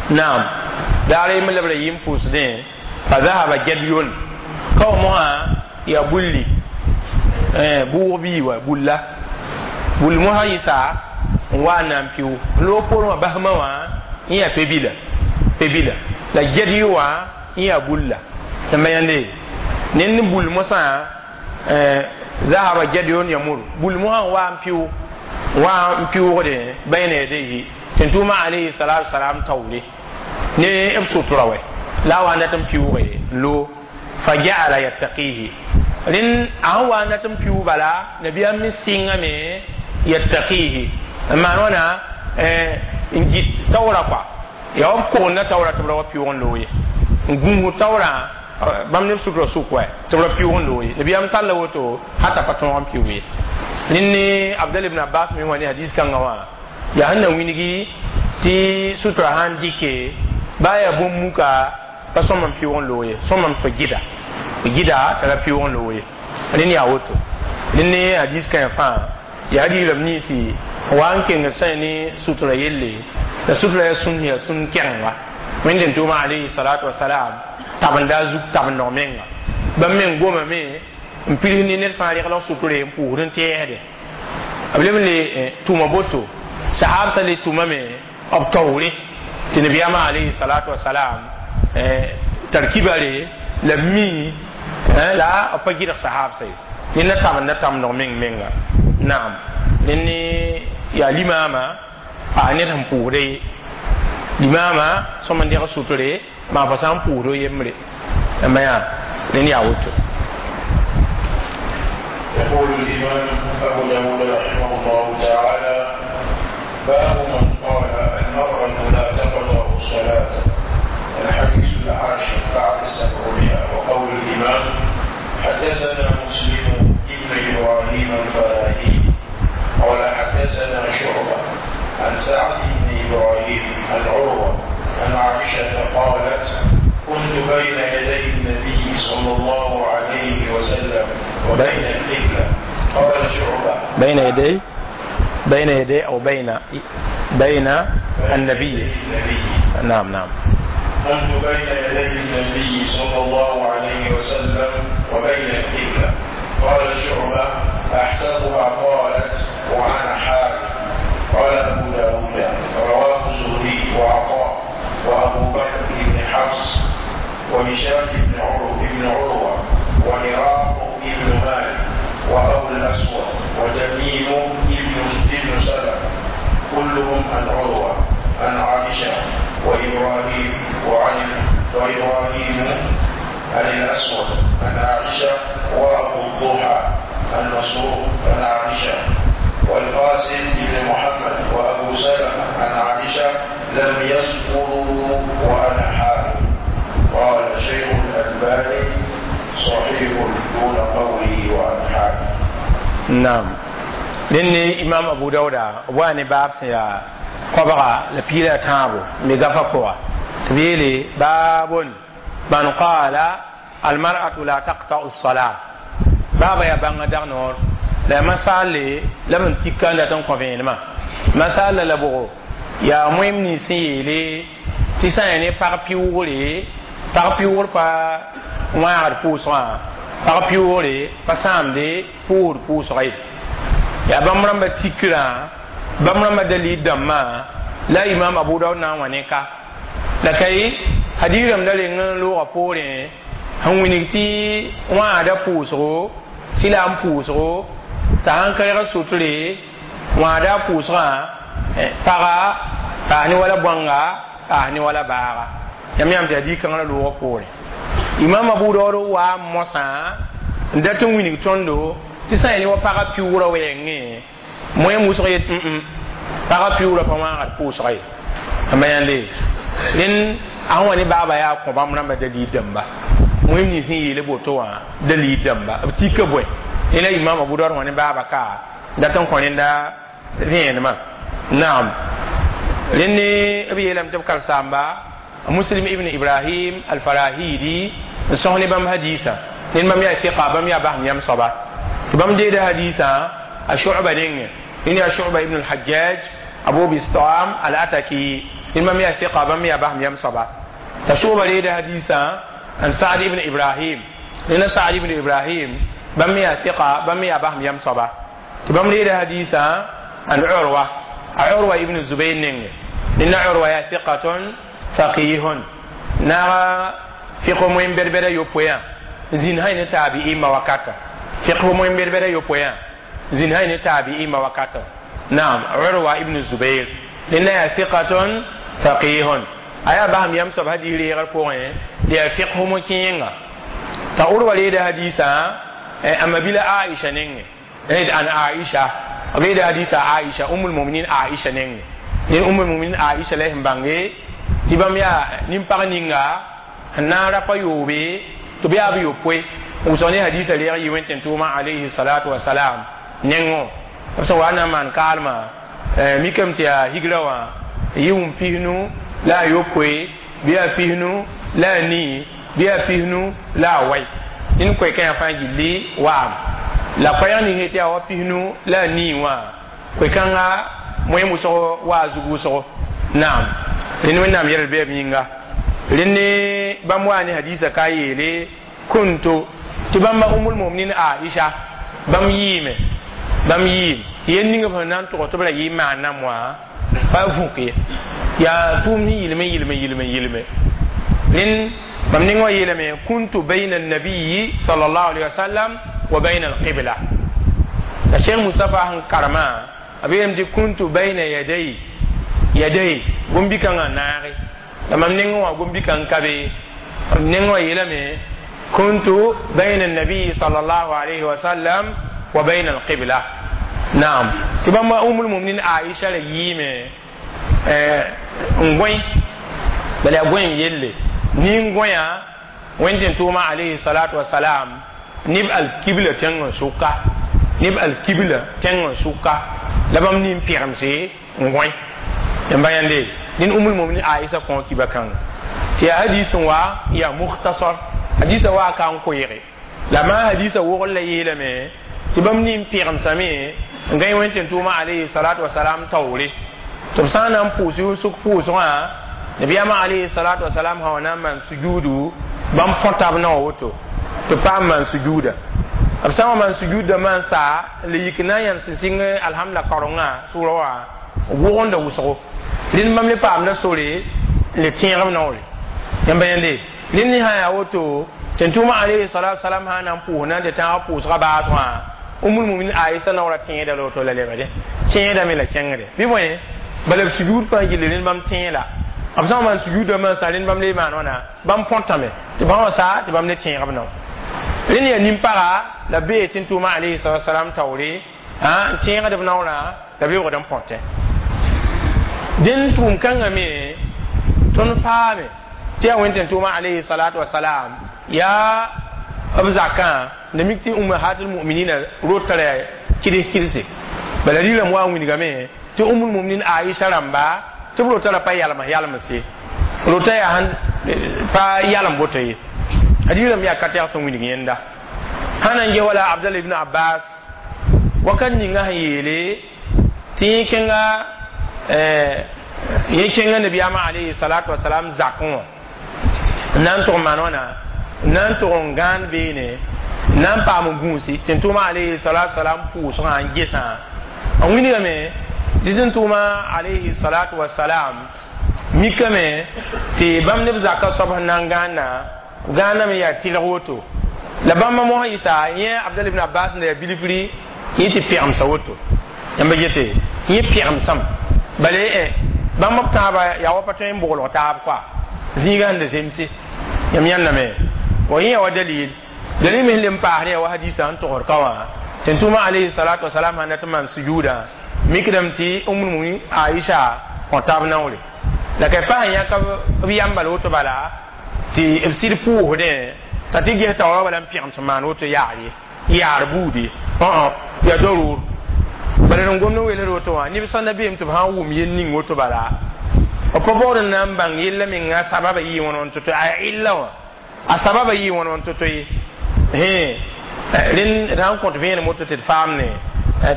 Naam, daar yembr la b ra yɩ n pʋʋsdẽ, fa zahaba jadyun kao mosã yaa bulli bʋʋg bii wa bulla bul mosã yɩsa n wa n na n pɩʋ loog poorẽ wã basmã wã n yaa pebila pebila la gɛd wã n yaa bulla. Tɩ yãnde ned ne bul mosã zahaba jadyun yamur bul mosã n wa n pɩʋ wa n pɩʋgde bayna yadayhi tɩ tʋʋma alayhi salatu wasalam taoore ne b sutura wɛ la a wa n dat n pɩʋge n loog fa ja'ala yattaqihi. Rẽnd a sẽn wa n dat n pɩʋ bala, nabiyaam me sɩngame yattaqihi n maan wãna n gɩt taoora kɔa yaa wa b kogenda taoora tɩ b ra wa pɩʋg n loog ye, n gũusd taoorã bãmb neb sutura sʋk wɛ tɩ b ra pɩʋg n loog ye. Nabiyaam talla woto hata pa tõog n pɩʋg ye. Rẽnd ne Abdal ibn Abbas me wã ne hadis kãngã wã yaa sẽn na wilgi tɩ sutura sãn dɩke baa yaa bũmb-muka pa sõm n pɩʋg n loog ye, sõm n fo gɩda gɩda t'a ra pɩʋg n loog ye. Rẽnd yaa woto. Rẽnd ne hadis kãe fãa yaa hadiisrãmb ninsi wa n kengd sã ne sutura yelle la sutura yaa sũn yaa sũn kɛgenga. Wẽnd tʋʋma alayhi salatu wasalam tabenda a zug tabendg menga bãmb meng gomame n pirs ne ned fãa regl suture n pʋʋsd n tɛɛsde. B leb n le tʋma boto, sahabsã le tʋmame b taoore tɩ nabiyaamã alayhi salatu wasalam tar kibare la b mi la b pa gɩdg sahabsã ye. Ned na tabenda tamdg meng menga. Naam, ned ne yaa limaamã paa ned sẽn pʋʋsda ye, limaamã sõm n dẽg suture maa fa sã n pʋʋsd o yembre ãmba yaa rẽnd yaa woto. يقول الإمام أبو داود رحمه الله تعالى: باب من قال المرأة لا تقطع الصلاة. الحديث العاشر بعد السبعمائة. وقول الإمام: حدثنا مسلم ابن إبراهيم الفراهيدي قال حدثنا شعبة عن سعد بن إبراهيم عن عروة عن عائشة قالت: كنت بين يدي النبي صلى الله عليه وسلم وبين القبلة. قال شعبة: بين يدي بين يدي أو بين بين النبي. النبي. نعم نعم. كنت بين يدي النبي صلى الله عليه وسلم وبين القبلة. قال شعبة: أحسبها قالت وأنا حائض. قال أبو داود: رواه الزهري وعطاء وأبو بكر بن حفص وهشام بن عروة بن عروة وعراق بن مالك وأبو الأسود وتميم بن بن سلمة كلهم عن عروة عن عائشة وإبراهيم وعن وإبراهيم عن الأسود عن عائشة وأبو الضحى عن مسروق عن عائشة والقاسم بن محمد وأبو سلمة عن عائشة لم يذكروا وأنا حائض. قال شيخ الألباني: صحيح دون قوله وأنا حائض. نعم، rẽnd imam Abu Dauda wa ne baab sẽn yaa koabga la piila tãabo me gafa pʋga tɩ b yeele baabun man qala almar'atu la taqta'u الصلاة. Baaba yaa bãnga dag noor la yaa masaalle la b n tika n dat n kõ vẽenemã masaalla la bʋgo yaa moem nins sẽn yeele tɩ sã n yaa ne pag pɩʋʋgre, pag pɩʋʋgr pa wãagd pʋʋsgã, pag pɩʋʋgre pa sãamde pʋʋsd pʋʋsga ye. Yaa bãmb rãmba tikrã, bãmb rãmba dalil dãmbã la imam Abu Daud na n wa ne ka la ka ye hadiis rãmb da reng n loogã poorẽ sẽn wilg tɩ wãagda pʋʋsgo. Tɩ la n pʋʋsgo t'a sãn ka reg sutre wãada a pʋʋsgã paga paas ne wala bõanga paas ne wala baaga yãmb yãmb tɩ yaa dii-kãngrã loogã poorẽ imam abu daood wa mosã n dat n wilg tõndo tɩ sã n ne wa pagã piʋʋrã wɛɛngẽ moẽ wʋsg yet pagã piʋʋrã pa wãagd pʋʋsga ye ãmba yãnde rẽnd a sẽn wa ne baaba yaa kõ bãmb rãmba dalil dãmba moẽ nins n yeele boto wã dalil dãmba b tika bõe rẽ la imam abu daood wã ne baaba ka dat n kõ rẽnda vẽenemã naam rẽnd b yeelame tɩ b karsaamba muslim ibn ibrahim alfarahidi n sõs ne bãmb hadisa ned bãmb yaa fiqa bãmb yaa basem yam soaba tɩ bãmb deeda hadisã a shu'ba nengẽ rẽnd yaa shu'ba ibn al-hajjaj abu bistam al-ataki ned bãmb yaa fiqa bãmb yaa basem yam soaba t'a shu'ba reeda hadisã n sa'd ibn ibrahim rẽnd sa'd ibn ibrahim bãmb yaa fiqa bãmb yaa basem yam soaba tɩ bãmb reeda hadisã an urwa a urwa ibn zubayr nengẽ rẽnd urwa yaa fiqatun faqihun naga fiqh moen berbera yopoya zin hay ne tabi'i ma wakata fiqh moen berbera yopoya zin hay ne tabi'i ma wakata naam urwa ibn zubair linna ya thiqatun faqihun aya baham yam sab hadiri gar ko ya fiqh mo kinga ta urwa le da hadisa amma bila aisha nenge an aisha abe da hadisa aisha ummul mu'minin aisha nenge ni ummul mu'minin aisha lehim bange tɩ bãmb yaa nin-pag ninga n na n rapa yoobe tɩ b yaa b yopoe wʋsg ne hadisa reeg yɩ wẽn tʋʋmã alayhi salatu wasalam nengõ b sẽn wa n na n maan kaalmã mikame tɩ yaa higra wã yɩ wũm pisnu la a yopoe bɩ yaa pisnu la a nii bɩ yaa pisnu la a wai ned koe-kãyã fãa gilli wa'am la koɛɛg ning tɩ yaa wa pisnu la a nii wã koe-kãnga moẽ wʋsg waa zug wʋsgo naam rẽnd wẽnnaam yɛl bɩ b yĩnga rẽnd bãmb waa ne hadisa ka yeele kuntu tɩ bãmba umul muminin aisha bãmb yɩɩme bãmb yɩɩm tɩ yel ning b sẽn na n tʋgs tɩ b ra yɩ n maan nam wã pa vũk ye yaa tʋʋm sẽn yɩlme yɩlme yɩlme yɩlme rẽnd bãmb ning wã yeelame kuntu bayna annabiyi sal allahu alehi wasallam wa bayna alqibla la cheikh mustafa sẽn karemã b yeelame tɩ kuntu bayna yaday yaday gombi-kãngã naage la mam nengẽ wã gombi-kãng ka be m nengẽ wã yeelame kuntu bayna annabiyi sal allahu alayhi wa sallam wa bayna alqibla naam tɩ bãmba umul muminin aisha ra yɩɩme n gõe bala yaa gõe n yelle nin gõya wẽnd tɩ tʋʋma alayhi salatu wasalam neb alkibla tẽngã sʋka neb alkibla tẽngã sʋka la bãmb nin pɛgemse n gõe yãmba yãnde ned umul muminin aisha kõ kiba kãnga tɩ yaa hadis n wa yaa mukhtasar hadisa wa ka n koeege la maa hadisa wogl la yeelame tɩ bãmb nin pɛgemsame n gãe wẽnd tɩ tʋʋma alayhi salatu wasalam taoore tɩ b sã n na n pʋʋs yʋsg pʋʋsgã nabiyaamã alayhi salatu wasalam sã wa na n maan sujuudu bãmb põta b naoã woto tɩ paam maan sujuuda b sã n wa maan sujuudã maan saa la yik na n yãnd sẽn sɩng alhamda kaorengã sʋʋra wã wʋgenda wʋsgo rẽnd bãmb le paamda sore le tẽeg b naoore yãmba yãnde rẽnd ne sã yaa woto tɩ tʋʋmã alayhi salatu wasalam sã n na n pʋʋs na n tɩ tãagã pʋʋsgã baasgã umul mumin aisha naoora tẽeda la woto la lebde tẽedame la kẽngde bɩ bõe bala b sujuud fãa gilli rẽnd bãmb tẽe la b sã n maan sujuudã maan sa rẽnd bãmb le maan wãna bãmb põtame tɩ bãmb wã saa tɩ bãmb le tẽeg b nao rẽnd yaa nin-paga la bee tɩ n tʋʋmã alayhi salatu wasalam taoore n tẽegd b naoorã la b lebgd n põtẽ dẽn tʋʋm kãngã me tõnd paame tɩ yaa wẽnd tɩ tʋʋmã alayhi salatu wasalam yaa b zakã la mik tɩ ummahatul muminina rotara kɩds kɩdse bala rɩlame wa n wilgame tɩ umul muminin aisha rãmba tɩ b rotara pa yalms yalms ye rota yaa sãn pa yalem boto ye rɩlame yaa ka tɛg sẽn wilg yẽnda sã na n ges wala abdal ibn abbas wakat ninga sẽn yeele tɩ yẽ kẽnga yẽ kẽnga nabiyaamã alayhi salatu wasalam zakẽ wã n na n tʋg maan wãna n na n tʋg n gãan beene n na n paam n gũusi tɩ n tʋʋmã alayhi salatu wasalam pʋʋsgã n gesã n wilgame tɩ tɩ n tʋʋmã alayhi salatu wasalam mikame tɩ bãmb neb zakã soab sẽn na n gãanna gãaname yaa tɩlg woto La bãmba mosã yɩsa yẽ Abdal ibn Abbas n da yaa bilfri yẽ tɩ pɛgemsa woto yãmba gete yẽ pɛgemsame bala bãmb b tãabã yaa wa pa tõe n boglg taab koa zĩiga sẽn da zemse yãmb yãndame wa yẽ ya wa dalil dalil me sẽn le n paasd ya wa hadisa sẽn togsd ka wã tɩ tʋma alayhi salatu wasalam sãn dat n maan sujuudã mikdame tɩ Umm Muminin Aisha kõ taab naoore la ka pa sẽn yãk b yãmbal woto bala tɩ b sɩd pʋʋsdẽ t'a tɩ ges taoorã bala n pẽgem sẽn maan woto yaar ye yaar buudi yaa darur bala n gomd n weeled woto wã neb sãn da beem tɩ b sã n wʋm yel ning woto bala b pa baood n na n bãng yella menga sababa yɩ wãn wãn to-to a illa wã a sababa yɩ wãn wãn to-to ye rẽnd d sãn kõt vẽenem woto tɩ d faamne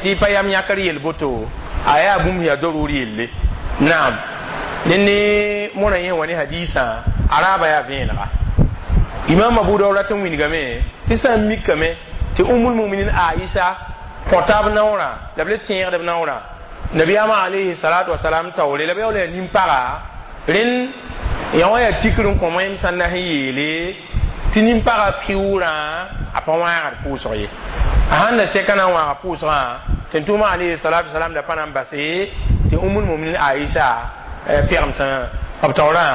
tɩ pa yam yãkr yel boto a yaa bũmb yaa darur yelle naam rẽnd ne mõna yẽ wa ne hadisã a raaba yaa vẽenega Imam Abu Dawud rat n wilgame tɩ sã n mikame tɩ Ummul Muminin Aisha kõ b naoorã la b le tẽegd b naoorã nabiyaamã alayhi salatu wasalam taoore la b yaool yaa nin-paga rẽnd yã wã yaa tikr n kõ wẽnd sãn na sẽn yeele tɩ nin-pagã pɩʋʋrã a pa wãagd pʋʋsg ye a sãn da sɛka na n wãaga pʋʋsgã tɩ tʋʋmã alayhi salatu wasalam da pa na n base tɩ Ummul Muminin Aisha pɛgem sã b taoorã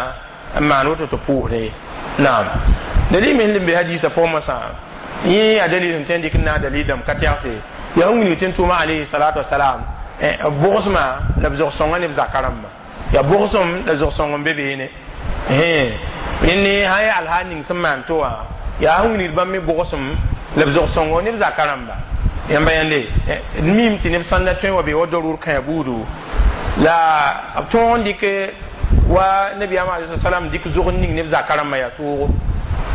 n maan woto tɩ pʋʋsde naam dalil me sẽn be hadisa pʋgẽ mosã yẽ yaa dalil sẽn tõe n dɩk n naag dalil dãmb ka tɛgse yaa sẽn wilg tɩ n tʋʋma alayhi salatu wasalam b bʋgsmã la b zog-sõngã ne b zaka rãmba yaa bʋgsem la zog-sõng n be beene rẽnd ne sã n yaa alhaal ning sẽn maan to wã yaa sẽn wilgd bãmb me bʋgsem la b zog-sõngo ne b zaka rãmba yãmba yãnde d miime tɩ neb sãn da tõe wa be wa darur kãe buudu la b tõog n dɩk wa nabiyaamã alayhi salam dɩk zog n ning neb zaka rãmbã yaa toogo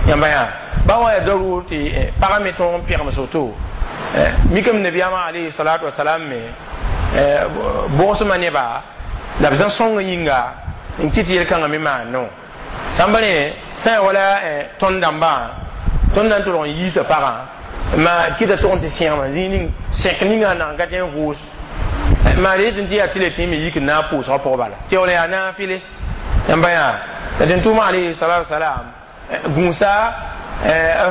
yãmba yã ba wã yaa darur tɩ pagã me tõog n pẽgems woto mikame nabiyaamã alayhi salatu wasalam me bʋgsmã neba la b zã sõngã yĩnga n kɩt yel-kãngã me maan no sãmba rẽ sã ya wala tõnd dãmbã tõnd na n tʋlg n yiisa pagã ma kɩta tʋg n tɩ sẽgema zĩig ning sẽk ninga sẽn na n ka tẽ n vʋʋs maa yetɩ tɩ yaa tɩ le tɩ me yik n na n pʋʋsgã pʋgã bala tɩ yaool yaa naafɩle yãmba yaa la tɩ tʋʋmã alayhi salatu wasalam gũusa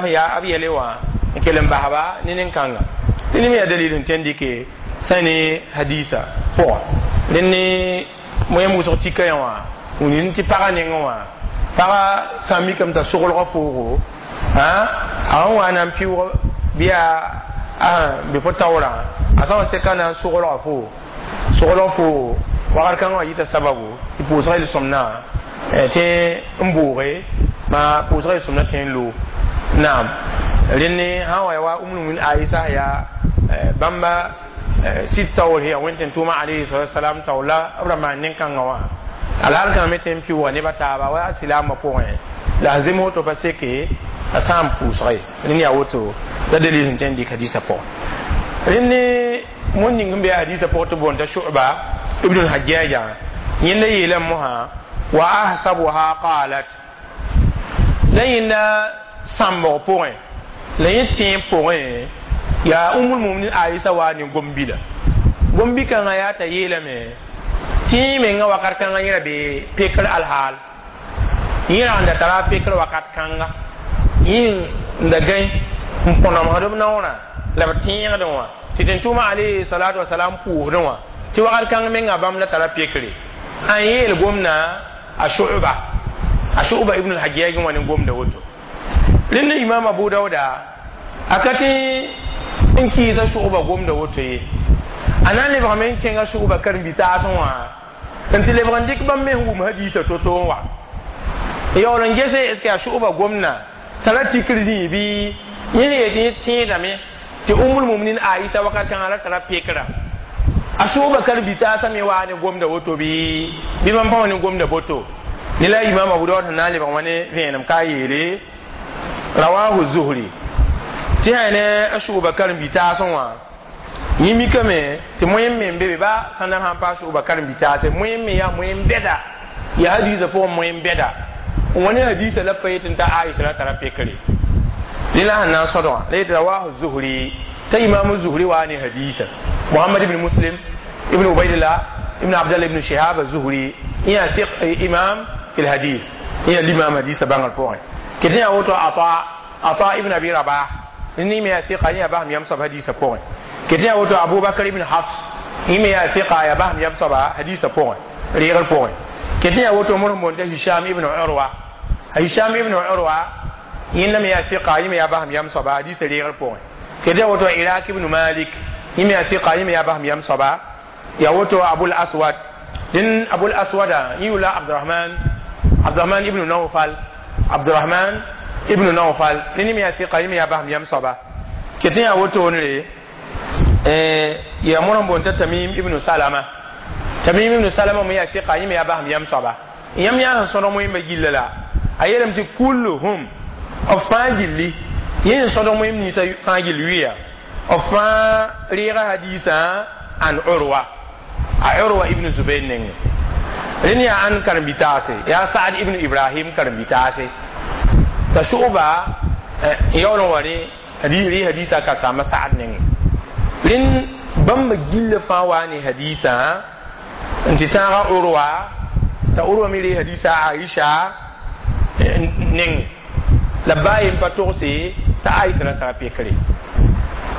yaa b yɛle wã n kell n basba ne nin-kãnga tɩ ne me yaa dalil sẽn tõe n dɩke sã ne hadisa pʋga rẽnd ne moyam wʋsg tika yã wã wĩnd tɩ pagã nengẽ wã pagã sã n mikame t'a soglgã poogo a sẽn wa na n pɩʋʋg bɩ yaa bɩ fo taoorã a sã n seka na n soglga foo soglg foo wakat kãngã wã yita sababu tɩ pʋʋsgã yel-sõmdã tẽ n booge ma pʋʋsgã yel-sõmdã tẽ n loog naam rẽnd ne sã n wa ya wa Umm Muminin Aisha yaa bãmba sɩd taoor yaa wẽnd tɩ tʋʋma alayhi salatu wasalam taoor la b ra maan nin-kãngã wã alhaal kãngã me tẽ n pɩʋʋga nebã taaba wa silaamã pʋgẽ la a zems woto pa seke a sã n pʋʋsga ye rẽnd yaa woto la dalil sẽn tõe n dɩk hadisa pʋgẽ rẽnd ne moon ning sẽn be hadisa pʋgẽ tɩ boonda Shu'ba ibn al-Hajjaja yẽnda yeelame mosã wa ahsabuha qalat la yẽnda sãmbg pʋgẽ la yẽ tẽeb pʋgẽ yaa Ummul Muminin Aisha wa ne gom-bila gom-bi-kãngã yaa t'a yeelame tɩ yẽ menga wakat kãngã yẽ ra be pekr alhaal yẽ ra n da tara pekr wakat kãnga yẽ n da gãe n põnemsd b naoorã la b tẽegdẽ wã tɩ tɩ tʋʋma alayhi salatu wasalam pʋʋsdẽ wã tɩ wakat kãng menga bãmb la tara pekre an yeel gomna a Shu'ba a Shu'ba ibn al-Hajjaj wã ne gomda woto rẽnd Imam Abu Dauda a ka tɩ n kɩɩsa Shu'ba gomda woto ye a na n lebgame n kẽnga Shu'ba karen-bi-taasẽ wã n tɩ lebg n dɩk bãmb me sẽn wʋm hadiisa to-to n wa yaool n gese est ce que yaa Shu'ba gomna tara tikr zĩig bɩ yẽ yetɩ yẽ tẽedame tɩ Ummul Muminin Aisha wakat kãngã ra tara pekra a Shu'ba karen-bi-taasã me waa ne gomda woto bɩ bɩ bãmb pa wa ne gomda boto ne la Imam Abu Dawud sẽn na n lebg wã ne vẽenem ka yeele rawahu Zuhri tɩ sã ne a Shu'ba karen-bi-taasẽ wã yẽ mikame tɩ moẽm me n be be ba sãn da sãn paas Shu'ba karen-bi-taase moẽm me yaa moẽm bɛda yaa hadiisã pʋgẽ moẽm bɛda n wa ne hadiisã la pa yetɩ n ta Aisha la tara pekre rẽ la sẽn na n sõdgã la yetɩ rawahu Zuhri t'a Imam Zuhri waa ne hadiisã Muhammad ibn Muslim ibn Ubaidillah ibn Abdallah ibn Shihab az-Zuhri yã imam fi lhadis yã limam hadiisã bãngr pʋgẽ kɩ tɩ yaa woto Ata Ata ibn Abi Rabah ni me ya thiqa ya bahm yam soaba hadisa pʋgẽ ket yaa woto Abu Bakr ibn Hafs yẽ me yaa thiqa ya basem yam soaba hadisa pʋgẽ reegr pʋgẽ ket yaa woto mor sẽn boond t'a Hisham ibn Urwa Hisham ibn Urwa yẽnda me yaa thiqa yẽ me yaa basem yam soaba hadisa reegr pʋgẽ ket yaa woto Irak ibn Malik yẽ me yaa thiqa yẽ me yaa basem yam soaba ya woto Abul Aswad din Abul Aswada yẽ yʋla Abdurahman Abdurahman ibn Nawfal Abdurahman ibn Nawfal nini me yaa thiqa yẽ me yaa basem yam soaba ket yaa woto ne ya mor sẽn boond t'a Tamim ibn Salama Tamim ibn Salama me yaa thiqa yẽ me yaa basem yam soaba yãmb yaa sẽn sõdg moẽmba gilla la a yeelame tɩ kulluhum b fãa gilli yẽ sẽn sõdg moẽmb ninsã fãa gill wɩa b fãa reega hadiisã an Urwa a Urwa ibn Zubair nengẽ rẽnd yaa ãn karen-bi-taase yaa Saad ibn Ibrahim karen-bi-taase t'a Shu'ba yaool n wa rẽ rɩ hadiisã ka saama Saad nengẽ rẽnd bãmba gilla fãa waa ne hadiisã n tɩ tãaga Urwa t'a Urwa me ree hadiisã Aisha nengẽ la baa yen pa togse t'a Aisha ra tara pekre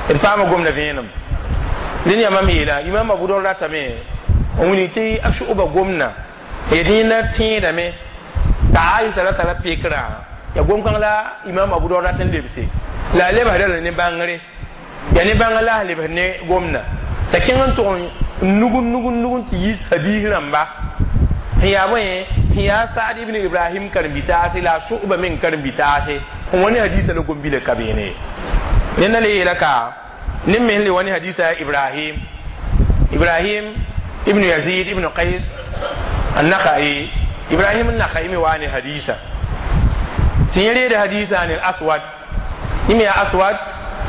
d paama gomda vẽenem rẽnd yaa mam yeela Imam Abu Dawud ratame n wilg tɩ a Shu'ba gomna yet yẽnda tẽedame t'a Aisha ra tara pekrã ya gom-kãng la Imam Abu Dawud rat n lebse la a lebsda la ne bãngre yaa ne bãngr la a lebsd ne gomna t'a kẽng n tʋg n nug nug nug n tɩ yiis hadiis rãmba sẽn yaa bõe sẽn yaa Saad ibn Ibrahim karen-bi-taase la a Shu'ba meng karen-bi-taase n wa ne hadiisã la gom-bila ka beene ye rẽnda le yeela ka ne me le wa ne hadiisa Ibrahim Ibrahim ibn Yazid ibn Qais an-Nakhai Ibrahim an-Nakhai me wa ne hadisa tɩ yẽ reeda hadisa ne Aswad yẽ me yaa Aswad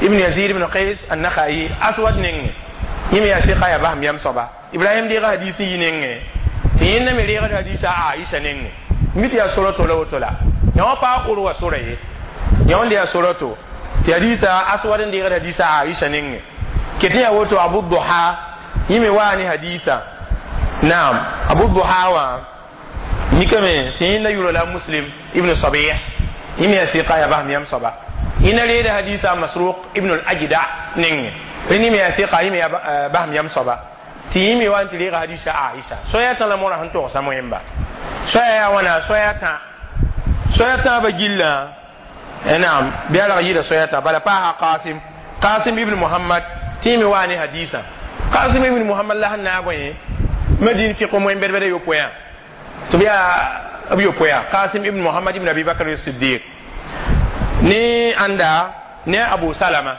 ibn Yazid ibn Qais an-Nakhai Aswad nengẽ yẽ me yaa sɩka yaa basem yam soaba Ibrahim deega hadis n yi nengẽ tɩ yẽnda me reegd hadisa Aisha nengẽ mi tɩ yaa sora to la woto la yã wã paa Urwa sora ye yã wãnda yaa sora to tɩ hadisa Aswad n deegd hadisa Aisha nengẽ ket yaa woto Abu Duha yẽ me waa ne hadisa naam Abu Duha wã mikame tɩ yẽnda yʋra la Muslim ibn Sabih yẽ me yaa sɩka yaa basem yam soaba yẽnda reeda hadisa Masruq ibn al-Ajda nengẽ rẽnd yẽ me yaa sɩka yẽ me yaa basem yam soaba tɩ yẽ me wa n tɩ reega hadisa Aisha soaya tã la mõra sẽn togsa moẽmba soaya yaa wãna soaya tã soaya tãabã gillã naam bɩ a rag yɩɩda soaya tã bala paasa Qasim Qasim ibn Muhammad tɩ yẽ me waa ne hadisã Qasim ibn Muhammad la sẽn naag yẽ Madin fiq moen bɛd-bɛda yopoe tɩ b yaa b yopoe Qasim ibn Muhammad ibn Abi Bakr Siddiq ne ãnda ne Abu Salama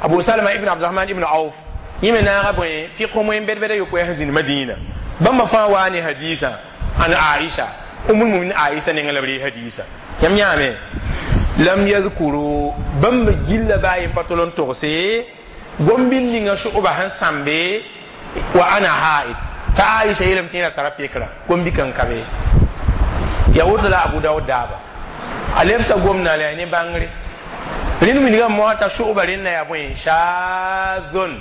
Abu Salama ibn Abdurahman ibn Auf yẽ me naaga bõe fiq moen bɛd-bɛda yopoe sẽn zĩnd Madina bãmba fãa waa ne hadisã an Aisha Ummul Muminin Aisha nengẽ la b ree hadisã yãmb yãame lam yadhkuru bãmba gilla baa yen pa tol n togse gom-bil ninga Shu'ba sẽn sãmbe wa ana haid t'a Aisha yeelame tɩ yẽ ra tara pekra gom-bika n ka be ya woto la Abu Dawud daaba a lebsa gomna la yaa ne bãngre rẽnd wilgame moasã t'a Shu'ba rẽnda yaa bõe shadhun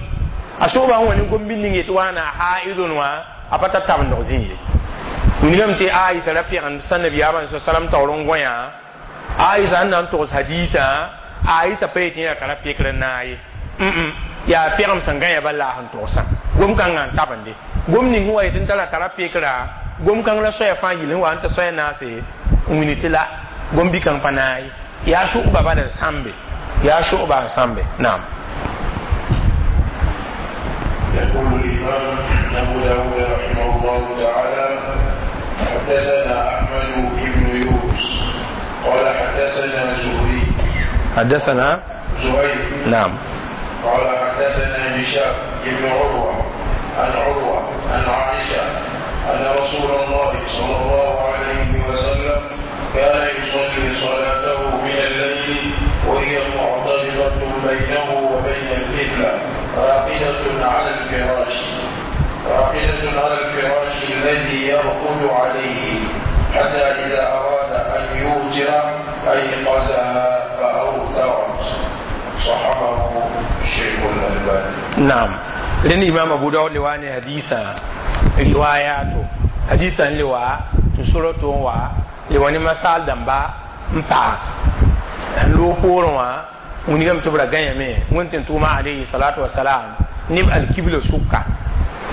a Shu'ba sẽn wa ne gom-bil ning yetɩ wãna haidun wã a pa tar tabendg zĩ ye wilgame tɩ Aisha ra pegend sã nabiyaamã salam taoor n gõ yã Aisha sẽn na n togs hadiisã Aisha pa yetɩ yẽ ra tara pekr n naag ye yaa pegem sẽn gã ya bala la sẽn togsã gom-kãngã n tabende gom ning sẽn wa yetɩ n tara tara pekra gom-kãng la soaya fãa gill sẽn wa n t'a soaya naase n wilg tɩ la gom-bi-kãng pa naag ye yaa Shu'ba bala n sãmbe yaa Shu'ba n sãmbe naam يقول الإمام أبو داود رحمه الله تعالى حدثنا أحمد بن يونس قال حدثنا زهري حدثنا زهير نعم قال حدثنا هشام بن عروة عن عروة عن عائشة أن رسول الله صلى الله عليه وسلم كان يصلي صلاته من الليل وهي معترضة بينه وبين القبلة راقدة على الفراش راقدة على الفراش الذي يرقد عليه حتى إذا أراد أن يوتر أيقظها فأوترت. صححه الشيخ الألباني. نعم لأن إمام أبو داود لواني حديثا رواياته حديثا لوا تسورة وا لواني مسال دمبا مباس Loog poorẽ wã wilgame tɩ b ra gãyame Wẽnd tɩ tʋʋma alayhi salatu wasalam neb alkibla sʋka,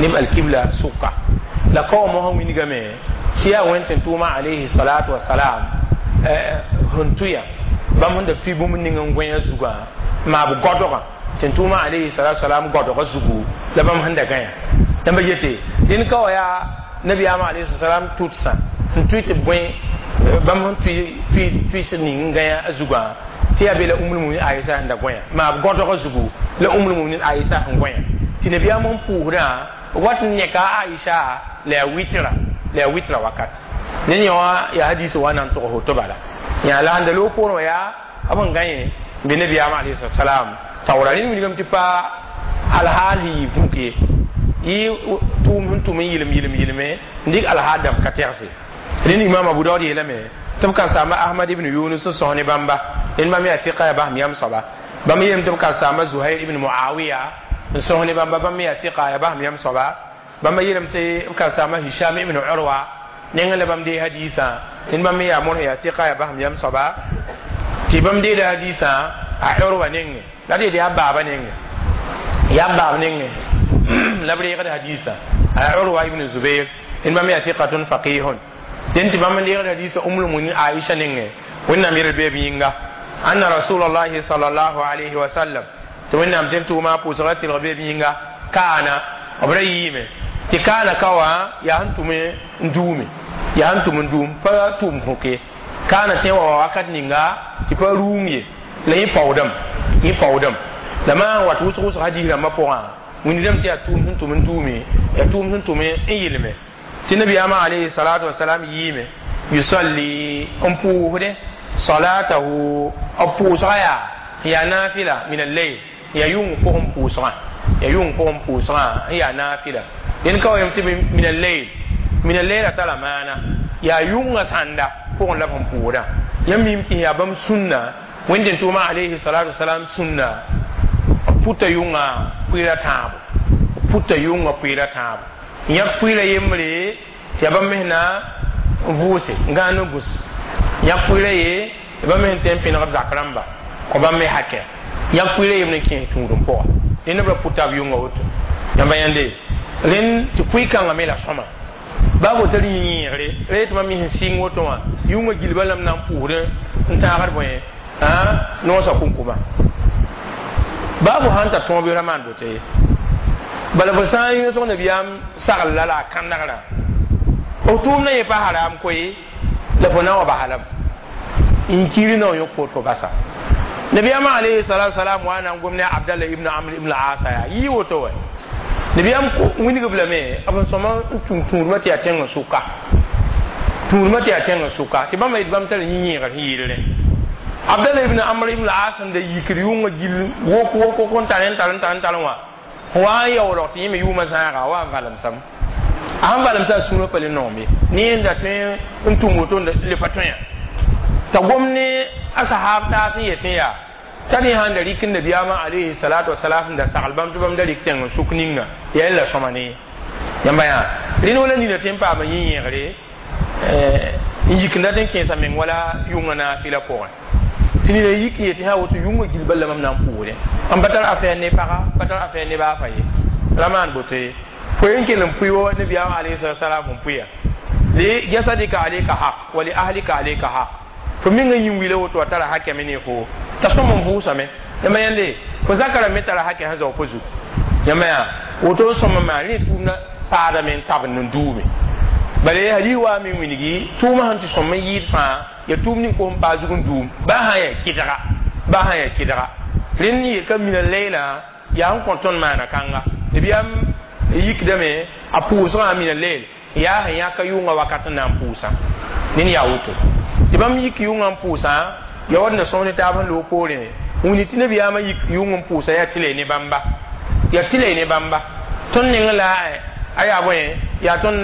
neb alkibla sʋka la ka wa mosã wilgame tɩ yaa Wẽnd tɩ tʋʋma alayhi salatu wasalam sẽn tʋya bãmb sẽn da tʋɩ bũmb ning n gõe a zugã maab godgã tɩ tʋʋma alayhi salatu wasalam godgã zugu la bãmb sẽn da gãya dãmba yete dẽn ka wa yaa nabiyaamã alayhi salam tʋtsã n tʋɩ tɩ b gõe bãmb sẽn tʋɩ tʋɩs ning n gãya a zugã tɩ yaa be la Umul Muminin Aisha sẽn da gõya maab godgã zugu la Umul Muminin Aisha sẽn gõya tɩ nabiyaam n pʋʋsdã wat n yẽka Aisha la yaa wɩtra la yaa wɩtra wakat ne yã wã yaa hadis wa na n tʋgs woto bala yã la sẽn da loog poorẽ wã yaa b sẽn gãe n be nabiyaamã alayhi salam taoora rẽnd wilgame tɩ pa alhaal sẽn yɩ vũk ye yɩ tʋʋm sẽn tʋm n yɩlem yɩlem yɩlme n dɩk alhaal dãmb ka tɛgse rẽnd Imam Abu Daud yeelame tɩ b ka saama Ahmad ibn Yunus n sõs ne bãmba rẽnd bãmb yaa fiqa yaa basem yam soaba bãmb yeelame tɩ b ka saama Zuhair ibn Muawiya n sõs ne bãmba bãmb me yaa fiqa yaa basem yam soaba bãmb yeelame tɩ b ka saama Hisham ibn Urwa nengẽ la bãmb dee hadiisã rẽnd bãmb me yaa mor yaa fiqa yaa basem yam soaba tɩ bãmb deeda hadiisã a Urwa nengẽ la d yeel yaa baaba nengẽ yaa baab nengẽ la b reegd hadiisã a Urwa ibn Zubair rẽnd bãmb yaa fiqatun faqihun dẽn tɩ bãmb n reegd hadiisã Umul Muminin Aisha nengẽ Wẽnnaam yel beeb yĩnga anna Rasulallahi sallallahu alayhi wa sallam tɩ Wẽnnaam tɩ tʋʋma pʋʋsga tɩlg beeb yĩnga kaana b ra yiime tɩ kaana ka wã yaa sẽn tʋm n duume yaa sẽn tʋm n duum pa tʋʋm fõke kaana tẽ wa wakat ninga tɩ pa rũung ye la yẽ paoodame yẽ paoodame la maan wat wʋsg wʋsg hadiis rãmbã pʋgã wĩndame tɩ yaa tʋʋm sẽn tʋm n duume yaa tʋʋm sẽn tʋm n yɩlme tɩ nabiyaamã alayhi salatu wasalam yiime yusalli n pʋʋsdẽ salatahu b pʋʋsga yaa yaa nafila min al-layl yaa yʋng pʋgẽ pʋʋsgã yaa yʋng pʋgẽ pʋʋsgã n yaa nafila dẽn ka wa yem tɩ min al-layl min al-layl a tara maana yaa yʋngã sãnda pʋgẽ la b sẽn pʋʋsdã yãmb mim tɩ yaa bãmb sũnna Wẽnd tʋʋma alayhi salatu wasalam sũnna puta yʋngã pʋɩra tãabo puta yʋngã pʋɩra tãabo yãk pʋɩra yembre tɩ yaa bãmb mes na n vʋʋse n gãan n gus yãk pʋɩra ye bãmb mes n tẽ n pẽneg b zak rãmba kõ bãmb me hakɛ yãk pʋɩra yembre n kẽes tũudem pʋga rẽnd b ra puta b yʋngã woto yãmba yãnde rẽnd tɩ pʋɩ-kãngã me la sõma baa fo tar yẽegre ra yetɩ mam sẽn sɩng woto wã yʋngã gilba lame na n pʋʋsd n tãagd bõe noosã kũnkũma baa fo sãn tar tõog bɩ ra maan boto ye bala fo sã n yõsg nabiyaam sagl la la a kãnegrã f tʋʋmdã yẽ pa haram koe la fo na n wa basa lame n kiiri na n yõk fo tɩ fo basa nabiyaamã alayhi salatu wasalam wa na n gom ne Abdallah ibn Amr ibn Asa yaa yɩ woto wa nabiyaam wilgb lame b sẽn sõma n tũm tũudmã tɩ yaa tẽng n sʋka tũudmã tɩ yaa tẽng n sʋka tɩ bãmba yetɩ bãmb tar yĩ-yẽegr sẽn yɩɩlrẽ Abdallah ibn Amr ibn As n da yikd yʋngã gill wok wok wok n tar n tar n tar n tar wã wa n yaoolg tɩ yẽ me yʋʋmã zãaga wa n valemsame a sẽn valemsa a sũurã pa le noom ye ne yẽnda tõe n tũm woto le pa tõe t'a gom ne a sahab taas n yetẽ yaa t'a rẽ sãn da rɩk n nabiyaamã alayhi salatu wasalam da sagl bãmb tɩ bãmb da rɩk tẽng n sʋk ninga yaa la sõma ne yãmba yaa rẽnd wala nina tɩ n paama yĩ-yẽegre n yik n dat n kẽesa meng wala yʋngã naafɩla pʋgẽ tɩ nina yik n yetɩ sã woto yʋngã gil bal la mam na n pʋʋsdẽ n pa tar affaire ne paga pa tar affaire ne baa fa ye ra maan boto ye fo yen kell n pʋɩ wa nabiyaam alayhi salatu wasalam n pʋɩa li jasadika alayka haq wa li ahlika alayka haq fo meng n yĩn wila woto a tara hakɛme ne fo t'a sõm n vʋʋsame yãmba yãnde fo zakara me tara hakɛ sẽn zao fo zug yãmba yaa woto n sõm n maan rẽ tʋʋmdã paadame n tabend n duume bala hadis wa me wilgi tʋʋmã sẽn tɩ sõm n yɩɩd fãa ya tʋʋm ning kos n paa zug n duum baa sã n yaa kɩdga baa sã n yaa kɩdga rẽnd yelka mina leila yaa sẽn kõ tõnd maana kãnga nabiyaam yikdame a pʋʋsgã mina leel yaa sẽn yãka yʋngã wakat n na n pʋʋsã ned yaa woto tɩ bãmb yik yʋngã n pʋʋsã ya wat na sõs ne taab sẽn loog poorẽ wĩni tɩ nabiyaamã yik yʋng n pʋʋsa yaa tɩ la ne bãmba yaa tɩ la ne bãmba tõnd neng la a yaa bõe yaa tõnd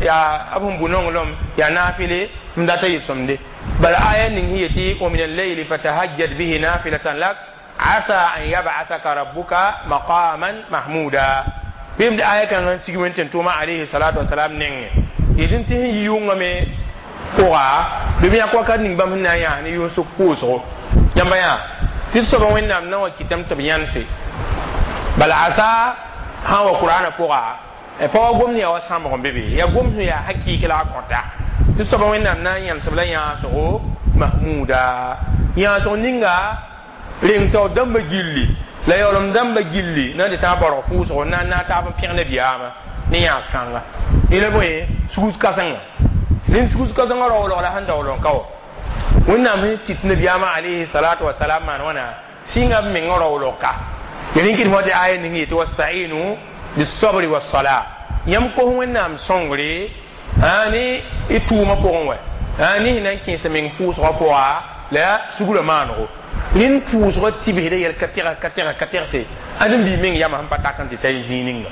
yaa b sẽn bu nonglem yaa naafɩle m data yɩ-sõmde bala aya ning sẽn yetɩ wa min al-layli fatahajjad bihi nafilatan lak asa an yab'athaka rabbuka maqaman mahmuda bɩm d aya kãngã n sig wẽn tɩ tʋʋma alayhi salatu wasalam nengẽ yetɩ tɩ sẽn yi yʋngã me pʋga bɩ b yãk wakat ning bãmb sẽn na n yãas ne yʋng sʋk pʋʋsgo Yãmba yaa tɩ d soaba Wẽnnaam na wa kɩtame tɩ b yãnse bala asa sã n wa Qur'aanã pʋga pa wa gomd yaa wa sãmbg n be be yaa gomd sẽn yaa hakɩɩk la a kõta tɩ soaba Wẽnnaam na n yãnesb la yãasgo mahmuda yãasg ninga reng taoor dãmba gilli la yaoolem dãmba gilli na n tɩ tãag baoorg pʋʋsgo n na n naag taab n pẽg nabiyaamã ne yãas kãnga yẽla bõe sugs kãsenga rẽnd sugs kãsengã raoolg la sẽn daool n ka wa Wẽnnaam sẽn tit nabiyaamã alayhi salatu wasalam maan wãna sɩnga b mengã raoolg ka ya rẽn kɩd fõ tɩ aya ning yetɩ wastainu bisabri wasala yãmb kos Wẽnnaam sõngre ne y tʋʋmã pʋgẽ wɛ ne sẽn na n kẽes meng pʋʋsgã pʋga la sugrã maanego rẽnd pʋʋsgã tibsda yɛl ka tɛgs ka tɛgs ka tɛgse ãdem-biig meng yamã sẽn pa tak n tɩ ta zĩig ninga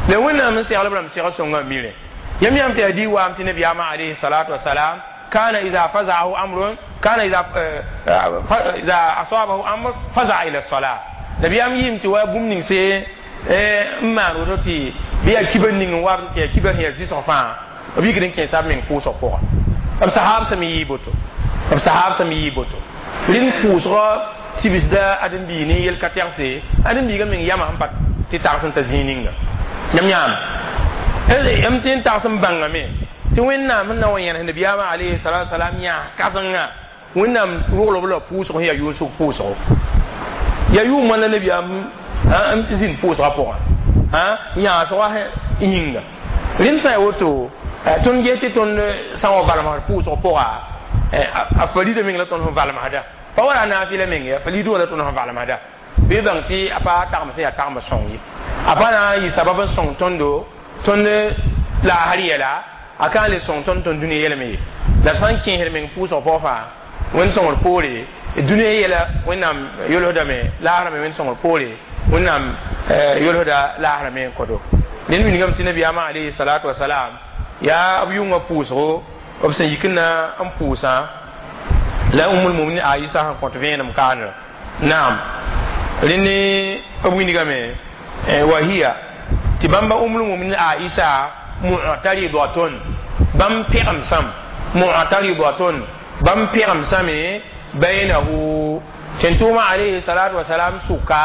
la Wẽnnaam n segl b rãmb seg sõngã mire yãmb yãmb tɩ yaa waam tɩ nabiyaamã alayhi salatu wasalam كان إذا فزعه أمر كان إذا إذا أصابه أمر فزع إلى الصلاة نبيام yim tɩ wa bũmb ning se n maan woto tɩ bɩ yaa kibar ning n wa tɩ yaa kibar sẽn yaa zɩsg fãa b yikd n kẽesa b meng pʋʋsg pʋga b sahaab sẽm yɩɩ boto b sahaab sẽm yɩɩ boto rẽnd pʋʋsgã tibsda ãdem-biig ne yel ka tɛgse ãdem-biigã meng yamã sẽn pa tɩ tags n ta zĩig ninga yãmb yãame yãmb tɩ n tags n bãngame tɩ Wẽnnaam sẽn na wa yẽnes nabiyaamã alayhi salatu wasalam yãas kãsengã Wẽnnaam rogl b la pʋʋsg sẽn yaa yʋʋsg pʋʋsgo yaa yʋʋm wãn la nabiyaam n zĩnd pʋʋsgã pʋgã yãasgã yĩnga rẽnd sã n ya woto tõnd ges tɩ tõnd sã n wa valmsd pʋʋsg pʋga a farida meng la tõnd sẽn valmsda pa wala a naafɩla meng ya farida wã la tõnd sẽn valmsda bɩ bãng tɩ a pa tagem sẽn yaa tagem sõng ye a pa na n yɩ sabab n sõng tõndo tõnd laasr yɛla a ka n le sõng tõnd tõnd dũniyã yɛlme ye la sã n kẽesd meng pʋʋsg pʋgã fãa Wẽnd sõngr poore dũniyã yɛla Wẽnnaam yolsdame laasrã me Wẽnd sõngr poore Wẽnnaam yolsda laasrã me n kõto rẽnd wilgame tɩ nabiyaamã alayhi salatu wasalam yaa b yʋngã pʋʋsgo b sẽn yik n na n pʋʋsã la Umul Muminin Aisa sẽn kõt vẽenem kaanrã naam rẽnd b wilgame wa hiya tɩ bãmba Umul Muminin Aisa mu'taridatun bãmb pẽgem sãm mu'taridatun bãmb pẽgem sãme bainahu tẽn-tʋʋmã alayhi salatu wasalam sʋka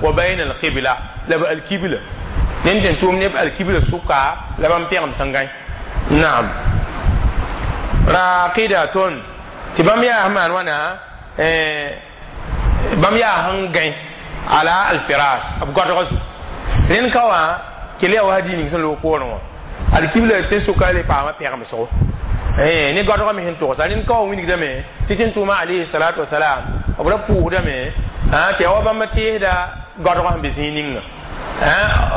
wa baina alqibla la b alkibla ned tẽn-tʋʋm neb alkibla sʋka la bãmb pẽgem sẽn gãe naam raqidatun tɩ bãmb yaa sẽn maan wãna bãmb yaa sẽn gãe ala alfirash b goadgã zugu rẽnd ka wã kell yaa wa hadiis ning sẽn loog poorẽ wã alkibla tẽn sʋka le paama pẽgemsgo ne goadgã me sẽn togsa rẽnd ka wã wilgdame tɩ tẽn-tʋʋmã alayhi salatu wasalam b ra pʋʋsdame tɩ yaa wa bãmb teesda goadgã sẽn be zĩig ninga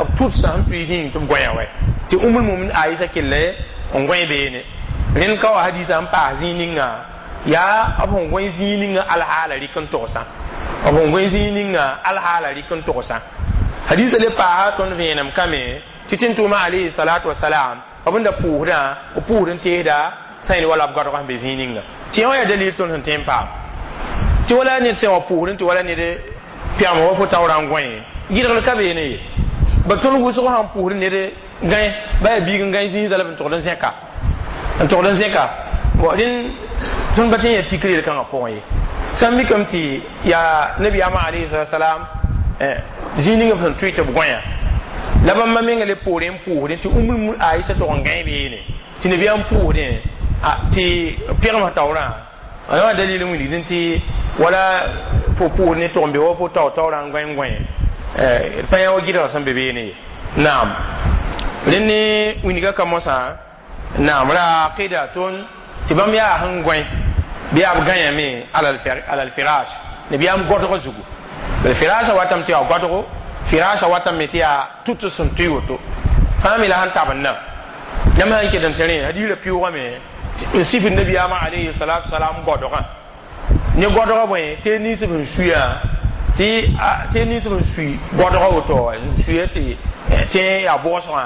b tʋdsã sẽn tʋɩ zĩig tɩ b gõe wɛ tɩ Umul Mumin Aisa kelle n gõe beene rẽnd ka wa hadiisã n paas zĩig ninga yaa b sẽn gõe zĩig ninga alhaala rɩk n togsã b sẽn gõe zĩig ninga alhaala rɩk n togsã hadiisã le paasa tõnd vẽenem kame tɩ tẽn-tʋʋmã alayhi salatu wasalam b n da pʋʋsdã b pʋʋsd n teesda sãyn wala b goadgã sẽn be zĩig ninga tɩ yã wã yaa dalil tõnd sẽn tõe n paam tɩ wala ned sẽn wa pʋʋsd tɩ wala ned pɛgem wa fo taoorã n gõe gɩdgr ka beene ye ba tõnd wʋsg sãn pʋʋsd ned gãe ba yaa biig n gãe zĩig zala b n togd n zẽka n togd n zẽka rẽnd tõnd pa tõe n yaa tikr yel-kãngã pʋgẽ ye sã n mikame tɩ yaa nabiyaamã alayhi salam zĩig ning b sẽn tʋɩ tɩ b gõeya la bãmba menga le poorẽ n pʋʋsdẽ tɩ Umul Aisa tog n gãe beene tɩ nabiyaam pʋʋsdẽ tɩ pẽgemsã taoorã a wã dalil n wilgdẽ tɩ wala fo pʋʋsd ne tog n be wa fo tao taoorã n gõe n gõe fãa yaa wa gɩdgã sẽn be beene ye naam rẽnd ne wilga ka mosã naam raqidatun tɩ bãmb yaa sẽn gõe bɩ yaa b gãyame ala alfirash nabiyaam godg zugu firasha watame tɩ yaa godgo firasha watame tɩ yaa tʋt sẽn tʋɩ woto fãa me la sẽn tab n na yãmb sã n ket n tɩ rẽ hadiisã pɩʋʋgame n sifd nabiyaamã alayhi salatu wasalam godgã ne godgã bõe tɩ nins b sẽn suya tɩ tɩ nins b sẽn sui godgã woto n suya tɩ tẽ yaa bʋgsgã